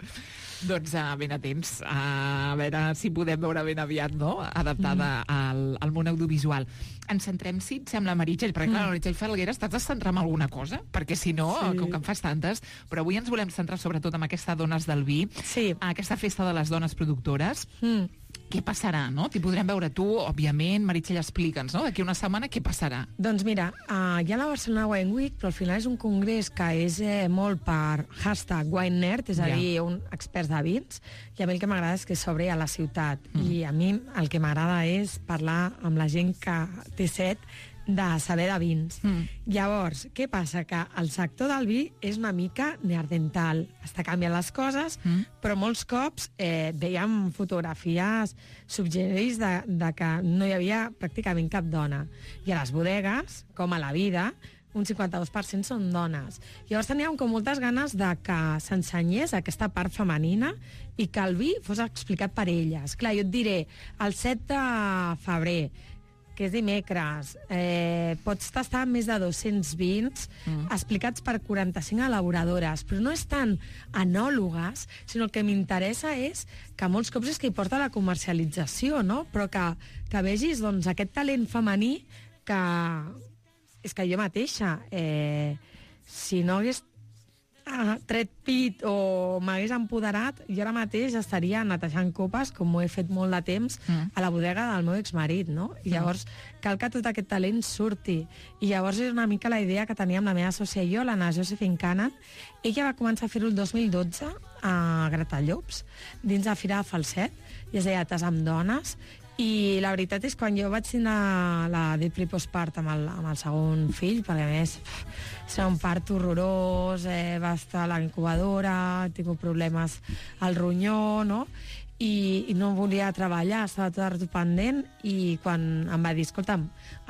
doncs uh, ben atents, uh, a veure si podem veure ben aviat, no?, adaptada mm. al, al món audiovisual. Ens centrem, si et sembla, Meritxell, perquè, mm. clar, Meritxell Falgueres, t'has de centrar en alguna cosa? Perquè, si no, Sí. com que en fas tantes, però avui ens volem centrar sobretot en aquesta Dones del Vi, Sí. aquesta festa de les dones productores. Mm. Què passarà, no? T'hi podrem veure tu, òbviament. Meritxell, explica'ns, no?, d'aquí una setmana què passarà. Doncs mira, uh, hi ha la Barcelona Wine Week, però al final és un congrés que és eh, molt per hashtag wine nerd, és a Ja. dir, un experts de vins, i a mi el que m'agrada és que s'obri a la ciutat. Mm. I a mi el que m'agrada és parlar amb la gent que té set de saber de vins. Mm. Llavors, què passa? Que el sector del vi és una mica neandertal. Està canviant les coses, Mm. però molts cops eh, veiem fotografies subgenerits de, de que no hi havia pràcticament cap dona. I a les bodegues, com a la vida, un cinquanta-dos per cent són dones. Llavors teníem com moltes ganes de que s'ensenyés aquesta part femenina i que el vi fos explicat per elles. Clar, jo et diré, el set de febrer, que és dimecres, eh, pots tastar més de dos-cents vins mm. explicats per quaranta-cinc elaboradores, però no és tant enòlogues, sinó el que m'interessa és que molts cops és que hi porta la comercialització, no? Però que, que vegis doncs, aquest talent femení que... És que jo mateixa, eh, si no hagués ah, tret pit o m'hagués empoderat, jo ara mateix estaria netejant copes, com ho he fet molt de temps, mm. a la bodega del meu exmarit, no? I llavors cal que tot aquest talent surti. I llavors és una mica la idea que teníem la meva sòcia i jo, l'Anna Josephine Cannon. Ella va començar a fer-ho el dos mil dotze a Gratallops, dins de Fira de Falset, i es deia Tas amb dones. I la veritat és que quan jo vaig signar la Deeply Postpart amb el, amb el segon fill, perquè a més serà un part horrorós, eh, va estar a la incubadora, he tingut problemes al ronyó, no? I, i no volia treballar, estava tot pendent, i quan em va dir, escolta'm,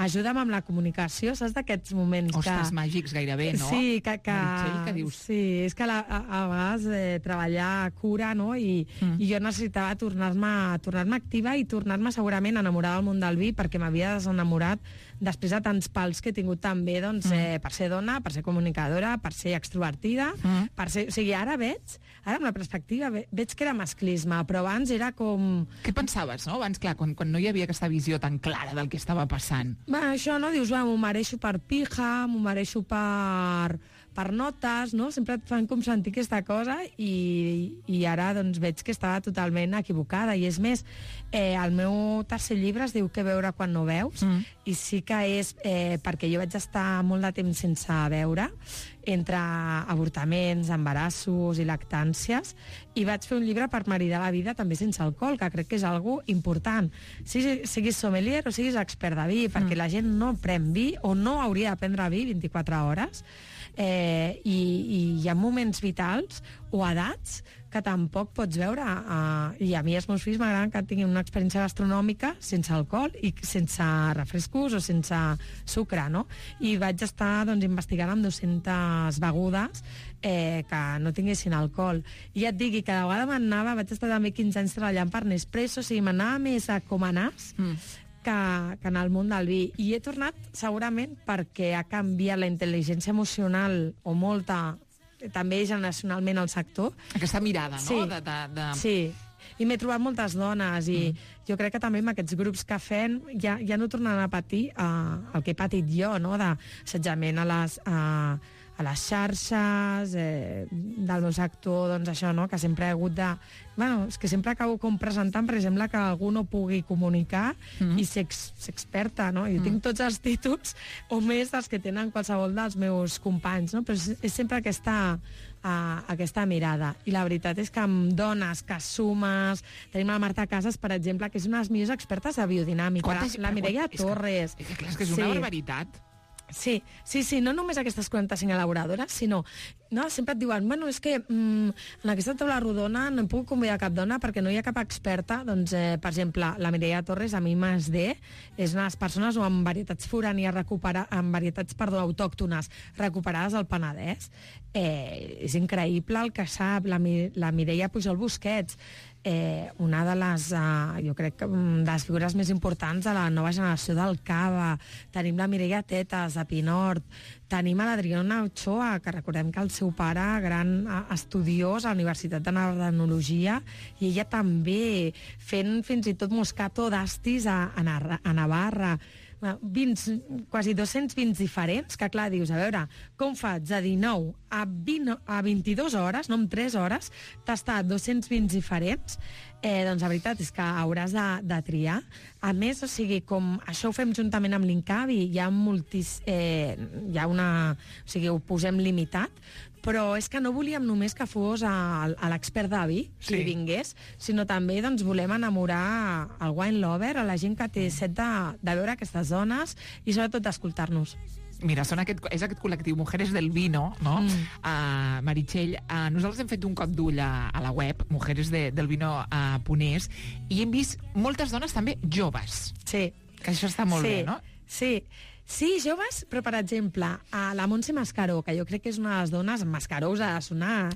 ajuda'm amb la comunicació, saps d'aquests moments Ostres, que... màgics gairebé, no? Sí, que... que Meritxell, què dius? Sí, és que la, a, a vegades eh, treballar cura, no? I, mm. i jo necessitava tornar-me tornar activa i tornar-me segurament enamorada del món del vi, perquè m'havia desenamorat després de tants pals que he tingut també, doncs, mm. eh, per ser dona, per ser comunicadora, per ser extrovertida, mm. per ser... O sigui, ara veig, ara amb la perspectiva, ve, veig que era masclisme, però abans era com... Què pensaves, no? Abans, clar, quan, quan no hi havia aquesta visió tan clara del que estava passant. Va, això, no? Dius, va, m'ho mereixo per pija, m'ho mereixo per, per notes, no? Sempre et fan com sentir aquesta cosa i, i ara, doncs, veig que estava totalment equivocada. I és més, eh, el meu tercer llibre es diu Què veure quan no veus, mm. i sí que és eh, perquè jo vaig estar molt de temps sense veure, entre avortaments, embarassos i lactàncies, i vaig fer un llibre per maridar la vida també sense alcohol, que crec que és algo important. Si siguis sommelier o siguis expert de vi, perquè mm. la gent no pren vi o no hauria de prendre vi vint-i-quatre hores, eh, i, i hi ha moments vitals o edats que tampoc pots veure. Uh, I a mi els meus fills m'agraden que tinguin una experiència gastronòmica sense alcohol i sense refrescos o sense sucre, no? I vaig estar, doncs, investigant amb dues-centes begudes eh, que no tinguessin alcohol. I ja et digui, cada vegada m'anava, vaig estar també quinze anys treballant per Nespresso, o sigui, m'anava més a com a nas mm. que, que en el món del vi. I he tornat segurament perquè ha canviat la intel·ligència emocional o molta, també generacionalment al sector. Aquesta mirada, no? Sí, de, de, de... sí. I m'he trobat moltes dones i mm. jo crec que també amb aquests grups que fem ja, ja no tornaran a patir uh, el que he patit jo, no? D'assetjament a les... Uh, a les xarxes, eh, del meu sector, doncs això, no?, que sempre he hagut de... Bueno, és que sempre acabo com presentant, per exemple, que algú no pugui comunicar mm. i ser, ex, ser experta, no? Jo mm. tinc tots els títols, o més dels que tenen qualsevol dels meus companys, no? Però és, és sempre aquesta, uh, aquesta mirada. I la veritat és que amb dones que sumes... Tenim la Marta Casas, per exemple, que és una de les millors expertes de biodinàmica. Quantes, la Mireia Torres. És que, és que, clar, és, que és una sí. barbaritat. Sí, sí, sí, no només aquestes quaranta-cinc elaboradores, sinó... No, sempre et diuen, bueno, és que mm, en aquesta taula rodona no em puc convidar cap dona perquè no hi ha cap experta. Doncs, eh, per exemple, la Mireia Torres, a mi m'has de, és una de les persones o amb varietats forànies, recupera, amb varietats, perdó, autòctones recuperades al Penedès. Eh, és increïble el que sap la, la Mireia Pujol Busquets. eh, una de les, eh, jo crec que de les figures més importants de la nova generació del Cava. Tenim la Mireia Tetas, de Pinort. Tenim a l'Adriana Ochoa, que recordem que el seu pare, gran eh, estudiós a la Universitat de Narranologia, i ella també fent fins i tot Moscato d'Astis a, a, Narra, a Navarra. vint, quasi dos-cents vint diferents, que clar, dius, a veure, com faig de dinou a, vint, a vint-i-dues hores, no en tres hores, tastar dos-cents vint diferents? Eh, doncs la veritat és que hauràs de, de triar. A més, o sigui, com això ho fem juntament amb l'Incavi, hi ha moltis, eh, hi ha una... O sigui, ho posem limitat, però és que no volíem només que fos a, a l'expert de vi, qui Sí. vingués, sinó també doncs, volem enamorar al wine lover, a la gent que té set de, de veure aquestes dones i sobretot d'escoltar-nos. Mira, són aquest, és aquest col·lectiu Mujeres del Vino, no? Mm. Uh, Meritxell, uh, nosaltres hem fet un cop d'ull a, a la web, Mujeres de, del Vino uh, Ponés, i hem vist moltes dones també joves, Sí. que això està molt sí, bé, no? Sí, sí, joves, però per exemple, a la Montse Mascaró, que jo crec que és una de les dones, Mascaró us ha de sonar,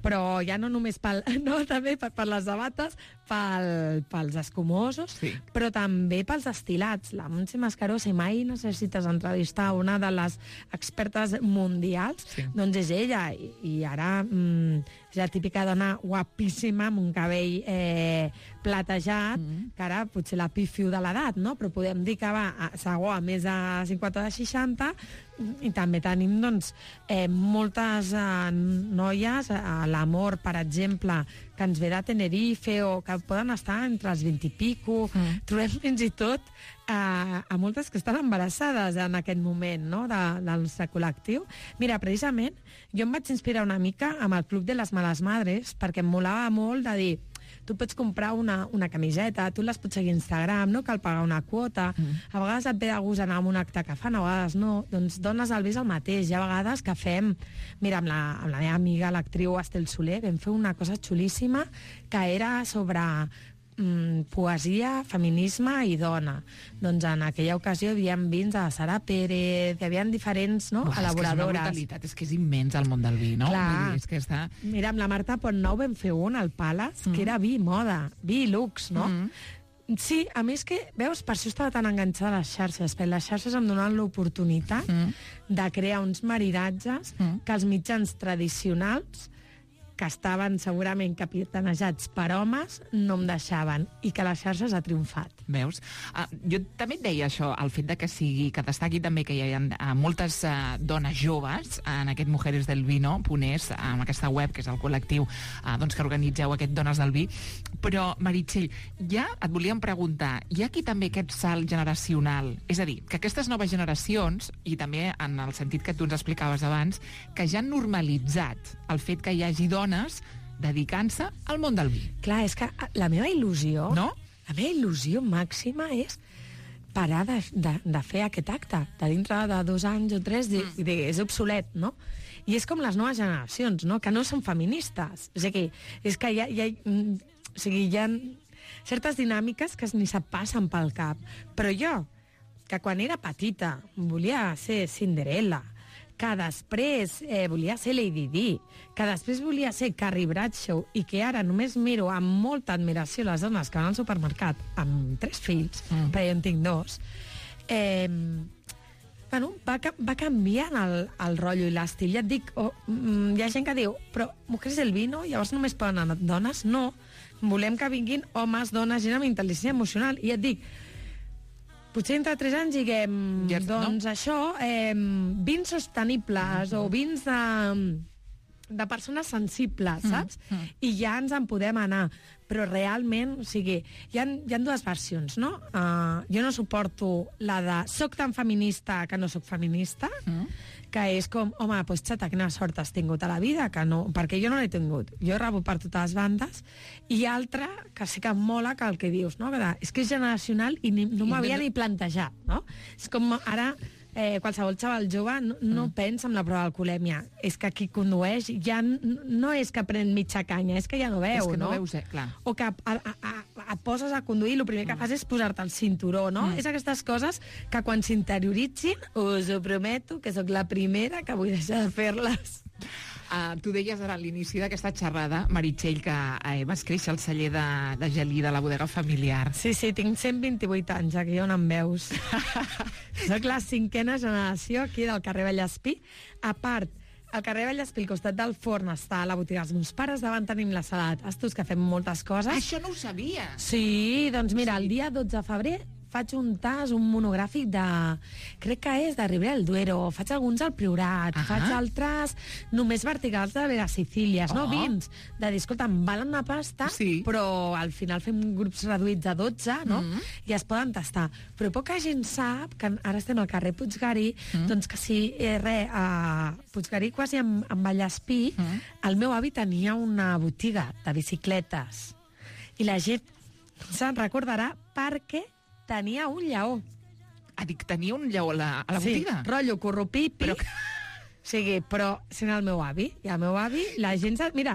però ja no només pel, no, també per, per les sabates, pel, pels escumosos, Sí. però també pels destilats. La Montse Mascaró, si mai necessites entrevistar una de les expertes mundials, Sí. doncs és ella, i, i ara mm, és la típica dona guapíssima, amb un cabell eh, platejat, mm. que ara potser la pifio de l'edat, no? Però podem dir que va a segur a més de cinquanta de seixanta, i també tenim doncs, eh, moltes eh, noies, a l'Amor, per exemple, que ens ve de Tenerife, o que poden estar entre els vint i pico. Mm. Trobem fins i tot eh, a moltes que estan embarassades en aquest moment, no?, de, del nostre col·lectiu. Mira, precisament, jo em vaig inspirar una mica amb el Club de les Males Madres, perquè em molava molt de dir, tu pots comprar una, una camiseta, tu les pots seguir a Instagram, no cal pagar una quota, mm. a vegades et ve de gust anar a un acte que fan, a vegades no, doncs dones el vis al mateix. Hi ha vegades que fem, mira, amb la, amb la meva amiga, l'actriu Estel Soler, vam fer una cosa xulíssima que era sobre mm, poesia, feminisme i dona. Doncs en aquella ocasió hi havia vins de Sara Pérez, hi havia diferents, no?, Uf, elaboradores. És que és una brutalitat, és que és immens el món del vi, no? Clar. Vull dir, és que està... Mira, amb la Marta Pontnou vam fer un al Palace, mm. que era vi i moda, vi i lux, no? Mm. Sí, a més que, veus, per això estava tan enganxada a les xarxes, perquè les xarxes em donen l'oportunitat Mm. de crear uns maridatges Mm. que els mitjans tradicionals, que estaven segurament capitanejats per homes, no em deixaven, i que les xarxes ha triomfat. Veus? Uh, jo també et deia això, el fet de que sigui, que destaqui també que hi ha uh, moltes uh, dones joves en aquest Mujeres del Vino Ponés, amb aquesta web, que és el col·lectiu uh, doncs, que organitzeu aquest Dones del Vi. Però, Meritxell, ja et volíem preguntar, hi ha aquí també aquest salt generacional? És a dir, que aquestes noves generacions, i també en el sentit que tu ens explicaves abans, que ja han normalitzat el fet que hi hagi dones dedicant-se al món del vi. Clar, és que la meva il·lusió... No? La meva il·lusió màxima és parar de, de, de fer aquest acte. De dintre de dos anys o tres, de, de, és obsolet, no? I és com les noves generacions, no?, que no són feministes. O sigui, és que hi ha, hi ha, o sigui, hi ha certes dinàmiques que ni se't passen pel cap. Però jo, que quan era petita volia ser Cinderella, que després eh, volia ser Lady Di, que després volia ser Carrie Bradshaw, i que ara només miro amb molta admiració les dones que van al supermercat amb tres fills, mm. perquè jo en tinc dos, eh, bueno, va, va canviant el, el rotllo i l'estil. Ja et dic, oh, mm, hi ha gent que diu, però Mujeres del Vino, llavors només poden anar dones? No, volem que vinguin homes, dones, gent amb intel·ligència emocional. I ja et dic, potser entre tres anys diguem, Ja, doncs no? això, eh, vins sostenibles o vins de, de persones sensibles, saps? Mm, mm. I ja ens en podem anar. Però realment, o sigui, hi ha, hi ha dues versions, no? Uh, jo no suporto la de soc tan feminista que no soc feminista, mm. que és com, home, doncs xata, quina sort has tingut a la vida, que no, perquè jo no l'he tingut. Jo he rebut per totes les bandes, i altra, que sí que em mola, que el que dius, no? Que de, és que és generacional i ni, no m'havia ni plantejat, no? És com ara eh, qualsevol xaval jove no, no mm. pensa en la prova d'alcoholèmia. És que qui condueix ja n- no és que pren mitja canya, és que ja no veu, És que no no? veus, eh? Clar. O que a, a, a, et poses a conduir i el primer que fas és posar-te el cinturó, no? Mm. És aquestes coses que quan s'interioritzin, us ho prometo, que sóc la primera que vull deixar de fer-les. Uh, tu deies ara a l'inici d'aquesta xerrada, Meritxell, que eh, vas créixer al celler de, de Gelí, de la bodega familiar. Sí, sí, tinc cent vint-i-vuit anys, aquí on em veus. Soc la cinquena generació aquí del carrer Vallespí. A part, al carrer Vallespí, al costat del forn, està la botiga dels meus pares, davant tenim la sala de tastos, que fem moltes coses. Això no ho sabia. Sí, doncs mira, el dia dotze de febrer faig un tas, un monogràfic de... Crec que és de Ribera del Duero, faig alguns al Priorat, Ah. faig altres només verticals de Vega Sicílies, no Oh. vins, de dir, escolta, em valen una pasta, Sí. però al final fem grups reduïts de dotze, no? Mm. I es poden tastar. Però poca gent sap que ara estem al carrer Puiggarí, mm. doncs que si, eh, res, a Puiggarí quasi amb, amb Vallespí, mm. el meu avi tenia una botiga de bicicletes. I la gent se'n recordarà perquè tenia un lleó. Ah, dic, tenia un lleó a la, a la botiga? Sí, rotllo corrupipi. Però- O sigui, però sent el meu avi. I el meu avi, la gent... Se... Mira,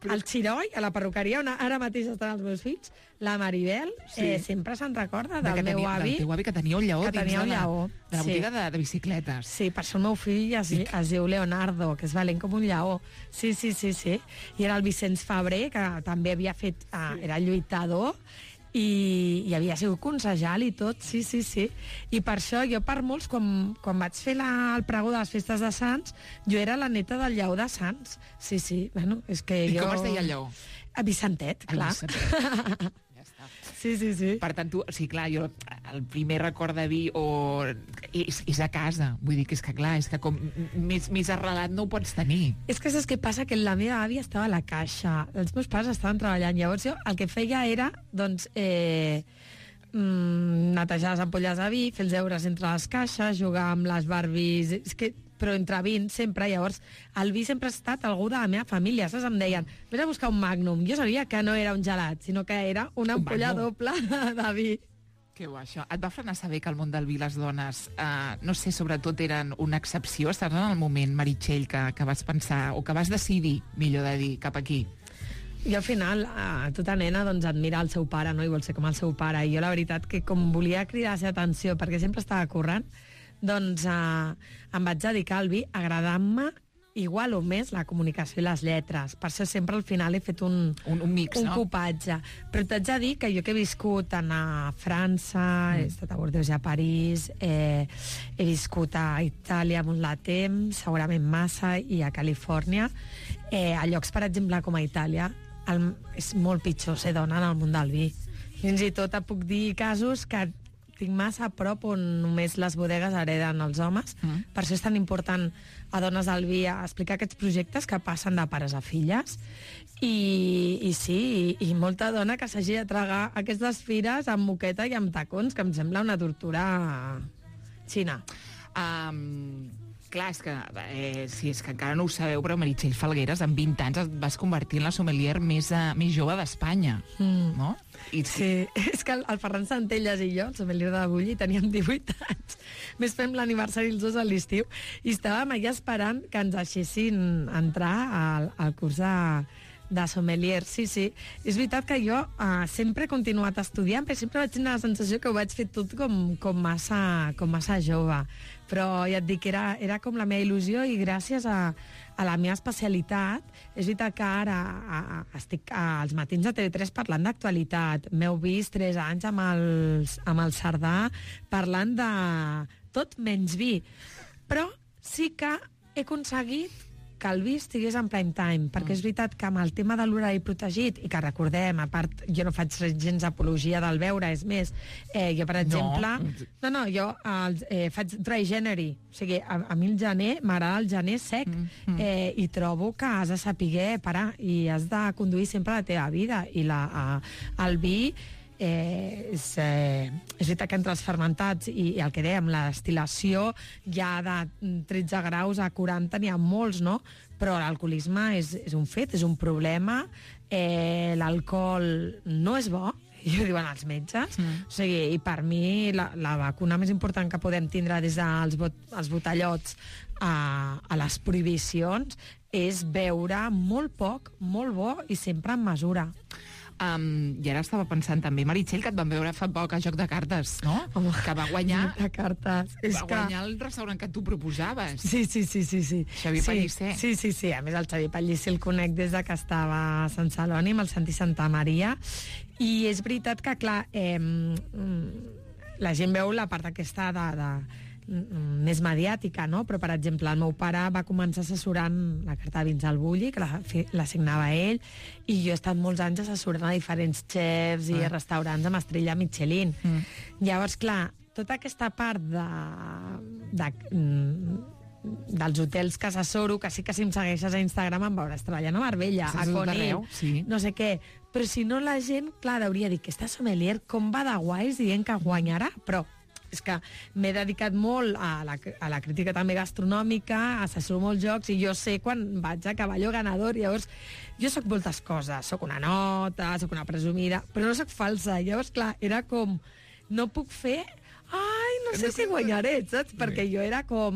al Xiroi, a la perruqueria, on ara mateix estan els meus fills, la Maribel Sí. eh, sempre se'n recorda De del que meu tenia, avi. Del teu avi, que tenia un lleó que dins tenia un de la, lleó, de la sí. botiga de, de bicicletes. Sí, per això el meu fill es, es diu Leonardo, que és valent com un lleó. Sí, sí, sí, sí. I era el Vicenç Fabrer, que també havia fet... Ah, era lluitador, i, i havia sigut consejal i tot, sí, sí, sí. I per això jo per molts, quan, quan vaig fer la, el pregó de les festes de Sants, jo era la neta del lleó de Sants. Sí, sí, bueno, és que I jo... com es deia el lleó? A Vicentet, clar. Vicentet. Ja està. Sí, sí, sí. Per tant, tu, sí, clar, jo el primer record de vi o és, és a casa. Vull dir que és que, clar, és que com més, més arrelat no ho pots tenir. És que saps què passa? Que la meva àvia estava a la caixa, els meus pares estaven treballant, llavors jo el que feia era, doncs, eh, mm, netejar les ampolles de vi, fer els deures entre les caixes, jugar amb les Barbies, és que, però entre vins sempre, llavors el vi sempre ha estat algú de la meva família, saps? Em deien, vés a buscar un Magnum, jo sabia que no era un gelat, sinó que era una Un ampolla Magnum. doble de vi. Que bo, això. Et va frenar saber que al món del vi les dones, eh, no sé, sobretot eren una excepció? Estàs en el moment, Meritxell, que, que vas pensar, o que vas decidir, millor de dir, cap aquí? I al final, eh, tota nena doncs, admira el seu pare, no? I vol ser com el seu pare. I jo la veritat que com volia cridar la seva atenció, perquè sempre estava currant, doncs eh, em vaig dedicar al vi agradant-me igual o més la comunicació i les lletres. Per això sempre al final he fet un, Un, un mix, un no? copatge. Però t'haig de dir que jo que he viscut a França, mm. he estat a Bordeaux i a París, eh, he viscut a Itàlia molt de temps, segurament massa, i a Califòrnia, eh, a llocs, per exemple, com a Itàlia, el, és molt pitjor ser dona en el món del vi. Fins i tot et puc dir casos que tinc massa a prop on només les bodegues hereden els homes. Mm. Per això és tan important a Dones del Vi explicar aquests projectes que passen de pares a filles. I, i sí, i, i molta dona que s'hagi de tragar aquestes fires amb moqueta i amb tacons, que em sembla una tortura xina. Um, clar, és que, eh, sí, és que encara no ho sabeu, però Meritxell Falgueres, amb vint anys, et vas convertir en la sommelier més, uh, més jove d'Espanya, Mm. no? I, Sí, és que el, el Ferran Centelles i jo, el sommelier de Bulli, teníem divuit anys. Més fem l'aniversari els dos a l'estiu i estàvem allà esperant que ens deixessin entrar al, al curs de, de sommelier. Sí, sí. És veritat que jo uh, sempre he continuat estudiant, però sempre vaig tenir la sensació que ho vaig fer tot com, com, massa, com massa jove. Però ja et dic, era, era com la meva il·lusió i gràcies a, a la meva especialitat, és veritat que ara a, a, estic als matins de T V tres parlant d'actualitat. M'heu vist tres anys amb, els, amb el Cerdà parlant de tot menys vi. Però sí que he aconseguit que el vi estigués en prime time, perquè és veritat que amb el tema de l'horari protegit, i que recordem, a part, jo no faig gens apologia del beure, és més, eh, jo, per exemple... No, no, jo el, eh, faig dry January, o sigui, a, a mi el gener, m'agrada el gener sec, mm, mm. Eh, i trobo que has de saber parar, i has de conduir sempre la teva vida, i la, a, el vi... Eh, és, eh, és veritat que entre els fermentats i, i el que dèiem, la destil·lació ja de tretze graus a quaranta n'hi ha molts, no? Però l'alcoholisme és, és un fet, és un problema, eh, l'alcohol no és bo, i ho diuen els metges, mm. o sigui, i per mi la, la vacuna més important que podem tindre des dels bot, els botellots a, a les prohibicions és beure molt poc, molt bo i sempre en mesura. Um, I ara estava pensant també, Meritxell, que et van veure fa poc a Joc de Cartes, no? Home, que va guanyar... de cartes. És va que... guanyar el restaurant que tu proposaves. Sí, sí, sí, sí, sí. Xavier sí, Pellicer. Sí, sí, sí. A més, el Xavier Pellicer el conec des de que estava a Sant Celoni amb el Santi Santa Maria. I és veritat que, clar, eh, la gent veu la part aquesta de... de més mediàtica, no? Però, per exemple, el meu pare va començar assessorant la carta de vins al Bulli, que la, la signava ell, i jo he estat molts anys assessorant a diferents xefs i ah. restaurants amb estrella Michelin. Mm. Llavors, clar, tota aquesta part de, de, dels hotels que assessoro, que sí que si em segueixes a Instagram em veuràs treballant a Marbella, a Conil, sí. no sé què. Però si no, la gent, clar, hauria dit que aquesta sommelier com va de guais dient que guanyarà, però és que m'he dedicat molt a la, a la crítica també gastronòmica, assessoro molts jocs, i jo sé quan vaig a cavalló ganador. Llavors, jo sóc moltes coses. Sóc una nota, sóc una presumida, però no sóc falsa. Llavors, clar, era com... No puc fer... Ai, no sé si guanyaré, saps? Perquè jo era com...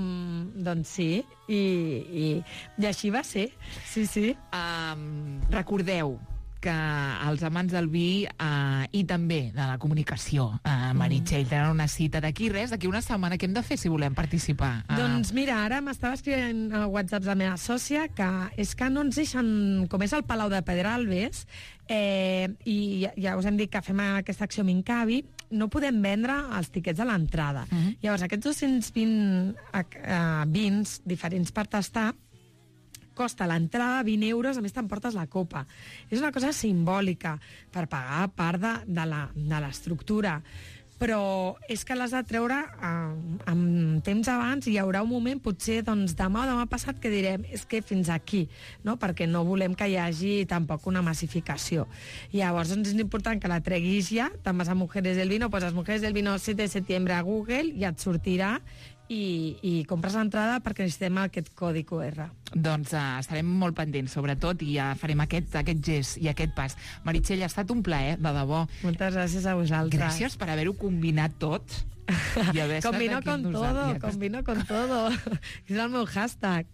Doncs sí, i, i, i així va ser. Sí, sí. Um, recordeu que els amants del vi eh, i també de la comunicació, eh, Meritxell, mm. tenen una cita d'aquí res, d'aquí una setmana. Què hem de fer si volem participar? Eh... Doncs mira, ara m'estava escrivint a WhatsApp la meva sòcia que és que no ens deixen, com és el Palau de Pedralbes, eh, i ja us hem dit que fem aquesta acció Mincavi, no podem vendre els tiquets a l'entrada. Mm -hmm. Llavors, aquests dos-cents vint uh, vins diferents per tastar costa l'entrada vint euros, a més t'emportes la copa. És una cosa simbòlica per pagar part de, de l'estructura. Però és que l'has de treure eh, amb temps abans, i hi haurà un moment, potser doncs, demà o demà passat, que direm és que fins aquí, no? Perquè no volem que hi hagi tampoc una massificació. Llavors doncs, és important que la treguis ja, te'n vas a Mujeres del Vino, poses Mujeres del Vino set de setembre a Google i et sortirà, i, i compres l'entrada perquè necessitem aquest codi Q R. Doncs uh, estarem molt pendents, sobretot, i ja farem aquest, aquest gest i aquest pas. Meritxell, ha estat un plaer, de debò. Moltes gràcies a vosaltres. Gràcies per haver-ho combinat tot. I haver combino con todo, combino con todo. És el meu hashtag.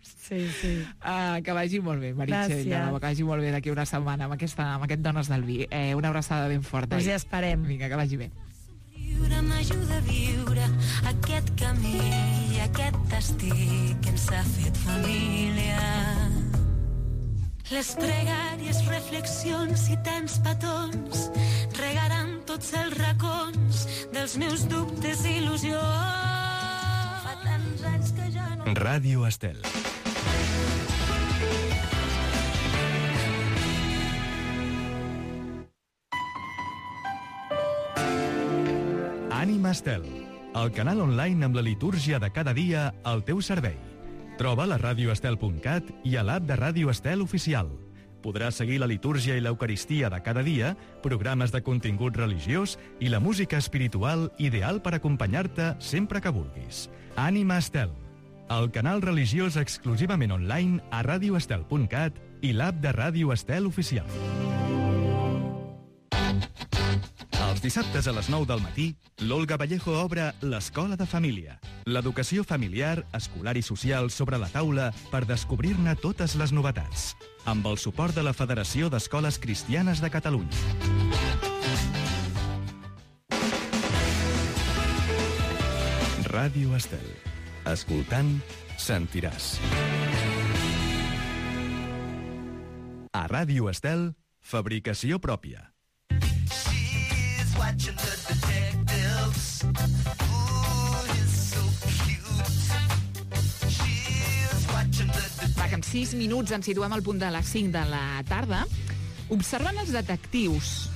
Sí, sí. Uh, que vagi molt bé, Meritxell. Que vagi molt bé d'aquí una setmana amb, aquesta, amb aquest Dones del Vi. Eh, una abraçada ben forta. Doncs ja esperem. Vinga, que vagi bé. M'ajuda a viure aquest camí i aquest destí que ens ha fet família. Les pregàries, reflexions i tants petons regaran tots els racons dels meus dubtes i il·lusions. Fa tants anys que ja no... Ràdio Estel. Ànima Estel, el canal online amb la litúrgia de cada dia al teu servei. Troba a radio estel punt cat i a l'app de Ràdio Estel oficial. Podràs seguir la litúrgia i l'eucaristia de cada dia, programes de contingut religiós i la música espiritual ideal per acompanyar-te sempre que vulguis. Ànima Estel, el canal religiós exclusivament online a radio estel punt cat i l'app de Ràdio Estel oficial. Els dissabtes a les nou del matí, l'Olga Vallejo obre l'Escola de Família. L'educació familiar, escolar i social sobre la taula per descobrir-ne totes les novetats. Amb el suport de la Federació d'Escoles Cristianes de Catalunya. Ràdio Estel. Escoltant, sentiràs. A Ràdio Estel, fabricació pròpia. Watching the detectives. Ooh, he's so cute. She's watching the detectives. Va, que en sis minuts ens situem al punt de les cinc de la tarda. Observant els detectius,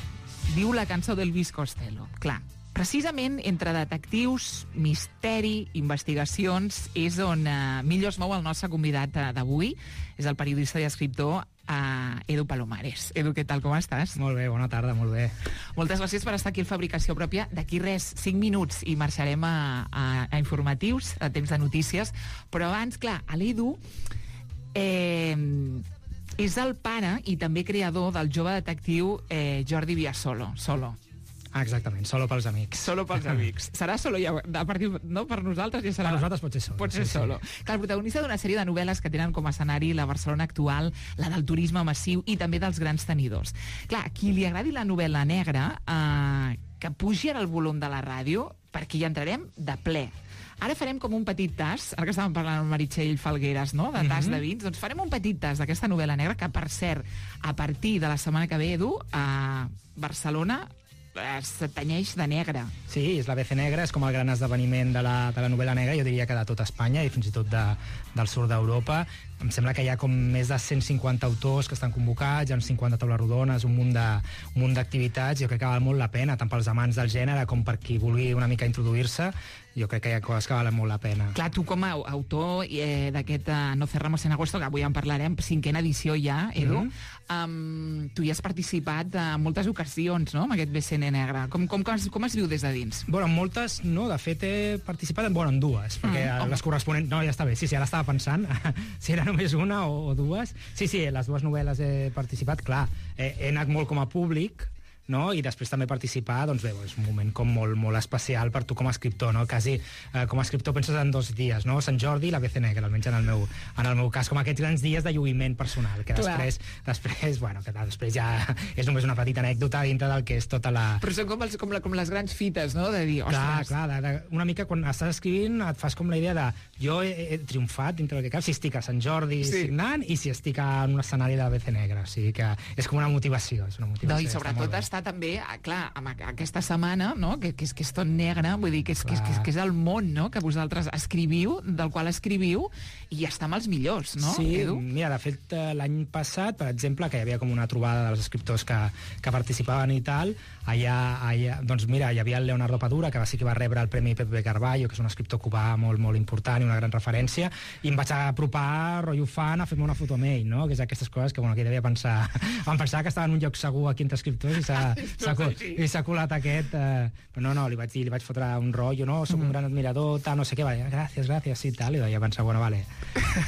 diu la cançó d'Elvis Costello. Clar, precisament entre detectius, misteri, investigacions, és on eh, millor es mou el nostre convidat d'avui. És el periodista i escriptor a Edu Palomares. Edu, què tal, com estàs? Molt bé, bona tarda, molt bé. Moltes gràcies per estar aquí al Fabricació Pròpia. D'aquí res, cinc minuts i marxarem a, a, a informatius, a temps de notícies, però abans, clar, l'Edu eh, és el pare i també creador del jove detectiu eh, Jordi Viasolo. Solo. Ah, exactament, solo pels amics. Solo pels amics. Serà solo ja, a partir, no, per nosaltres ja serà... Per nosaltres pot ser solo. Pot ser sí, solo. Sí. Clar, el protagonista d'una sèrie de novel·les que tenen com a escenari la Barcelona actual, la del turisme massiu i també dels grans tenidors. Clar, a qui li agradi la novel·la negra, eh, que pugi ara el volum de la ràdio, perquè hi entrarem de ple. Ara farem com un petit tas, ara que estàvem parlant amb Meritxell Falgueres, no?, de tas mm -hmm. de vins, doncs farem un petit tas d'aquesta novel·la negra que, per cert, a partir de la setmana que ve, Edu, a Barcelona es tenyeix de negre. Sí, és la B C Negra, és com el gran esdeveniment de la, de la novel·la negra, jo diria que de tot Espanya i fins i tot de, del sud d'Europa. Em sembla que hi ha com més de cent cinquanta autors que estan convocats, hi ha uns cinquanta taules rodones, un munt de, un munt d'activitats. Jo crec que val molt la pena, tant pels amants del gènere com per qui vulgui una mica introduir-se. Jo crec que hi ha coses que valen molt la pena. Clar, tu com a autor eh, d'aquest uh, No cerramos en agosto, que avui en parlarem, cinquena edició ja, Edu, mm -hmm. um, tu hi has participat en moltes ocasions, no?, amb aquest B C N negre. Com, com, com, es, com es viu des de dins? Bueno, en moltes no, de fet he participat en, bueno, en dues, perquè mm, les corresponents... No, ja està bé, sí, sí, ara estava pensant si era només una o, o dues. Sí, sí, les dues novel·les he participat, clar, he, he anat molt com a públic, no? I després també participar, doncs bé, és un moment com molt, molt especial per tu com a escriptor, no? Quasi eh, com a escriptor penses en dos dies, no? Sant Jordi i la B C Negra, almenys en el meu, en el meu cas, com aquests grans dies de lluïment personal, que després, després, bueno, que després ja és només una petita anècdota dintre del que és tota la... Però són com, els, com, la, com les grans fites, no?, de dir, ostres... Clar, clar, de, de, una mica quan estàs escrivint et fas com la idea de jo he, he triomfat dintre del que cap, si estic a Sant Jordi sí. signant i si estic en un escenari de la B C Negra, o sigui que és com una motivació, és una motivació. No, i sobretot està també, clar, amb aquesta setmana, no?, que, que, és, que és tot negre, vull dir, que és, que, és, que, és, que és el món, no?, que vosaltres escriviu, del qual escriviu, i està amb els millors, no, sí, Edu? Mira, de fet, l'any passat, per exemple, que hi havia com una trobada dels escriptors que, que participaven i tal, allà, allà, doncs mira, hi havia el Leonardo Padura, que va ser que va rebre el Premi Pepe Carballo, que és un escriptor cubà molt, molt important i una gran referència, i em vaig apropar, rotllo fan, a fer-me una foto amb ell, no?, que és aquestes coses que, bueno, aquí devia pensar... Vam pensar que estava en un lloc segur aquí entre escriptors i s'ha i s'ha colat aquest... Eh, però no, no, li vaig dir, li vaig fotre un rotllo, no, soc un gran admirador, tal, no sé què, va, gràcies, gràcies, sí, tal, i vaig pensar, bueno, vale.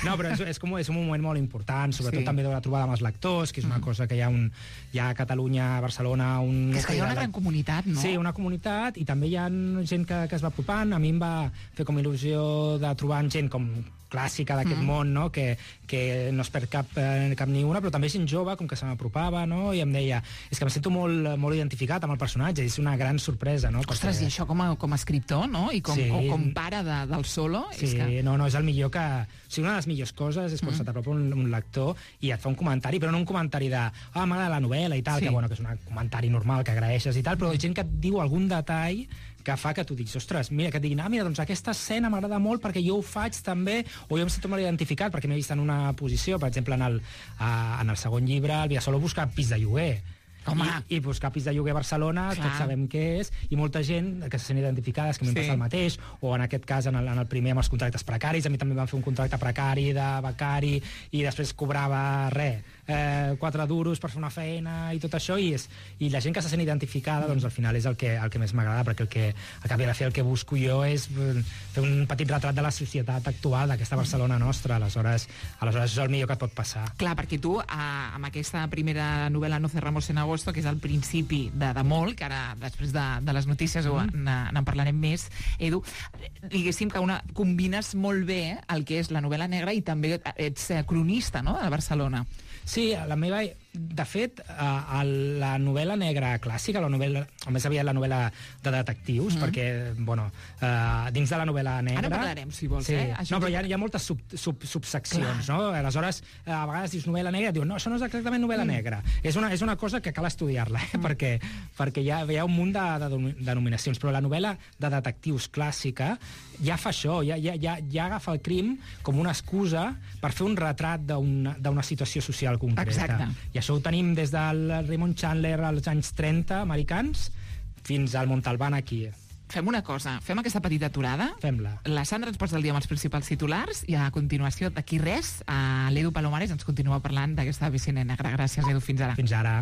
No, però és, és, com, és un moment molt important, sobretot sí. també de la trobada amb els lectors, que és una cosa que hi ha, un, hi ha a Catalunya, a Barcelona... Un, que és que hi ha una gran comunitat, no? Sí, una comunitat, i també hi ha gent que, que es va apropant. A mi em va fer com il·lusió de trobar gent com clàssica d'aquest mm. món, no?, que, que no es perd cap, eh, cap ni una, però també gent jove, com que se m'apropava, no?, i em deia, és que em sento molt, molt identificat amb el personatge, és una gran sorpresa, no? Ostres, perquè... i això com a, com a escriptor, no?, i com, sí. o com pare de, del solo... Sí, és que... no, no, és el millor que... O sigui, una de les millors coses és quan mm. se t'apropa un, un lector i et fa un comentari, però no un comentari de ah, m'agrada la novel·la i tal, sí. que, bueno, que és un comentari normal que agraeixes i tal, però gent que et diu algun detall que fa que tu diguis, ostres, mira, que et diguin, ah, mira, doncs aquesta escena m'agrada molt perquè jo ho faig també, o jo em sento molt identificat perquè m'he vist en una posició, per exemple, en el, uh, en el segon llibre, el Villasolo busca pis de lloguer. Home. I, i buscar pis de lloguer a Barcelona, clar. Tots sabem què és, i molta gent que se sent identificades, que m'hi sí. passa el mateix, o en aquest cas, en el, en el primer, amb els contractes precaris, a mi també em van fer un contracte precari de becari, i després cobrava res, eh, quatre duros per fer una feina i tot això, i, és, i la gent que se sent identificada, doncs al final és el que, el que més m'agrada, perquè el que, al cap i a la fi el que busco jo és fer un petit retrat de la societat actual d'aquesta Barcelona nostra, aleshores, aleshores és el millor que et pot passar. Clar, perquè tu, eh, amb aquesta primera novel·la No cerramos en agosto, que és el principi de, de molt, que ara després de, de les notícies mm. n'en parlarem més, Edu, diguéssim que una, combines molt bé el que és la novel·la negra i també ets cronista, no?, de Barcelona. Sí, la meva... De fet, a, a la novel·la negra clàssica, la novel·la, o més aviat la novel·la de detectius, mm. perquè, bueno, uh, dins de la novel·la negra... Ara parlarem, si vols, sí. eh? Això no, però hi ha, hi ha moltes sub, sub, subseccions, clar. No? Aleshores, a vegades dius novel·la negra, diuen, no, això no és exactament novel·la mm. negra. És una, és una cosa que cal estudiar-la, eh? mm. perquè, perquè hi ha, hi ha un munt de, de denominacions, però la novel·la de detectius clàssica ja fa això, ja, ja, ja, ja agafa el crim com una excusa per fer un retrat d'una situació social concreta. Exacte. I això ho tenim des del Raymond Chandler als anys trenta, americans, fins al Montalbán aquí. Fem una cosa, fem aquesta petita aturada. Fem-la. La Sandra ens posa el dia amb els principals titulars i a continuació, d'aquí res, l'Edu Palomares ens continua parlant d'aquesta B C N negra. Gràcies, Edu, fins ara. Fins ara.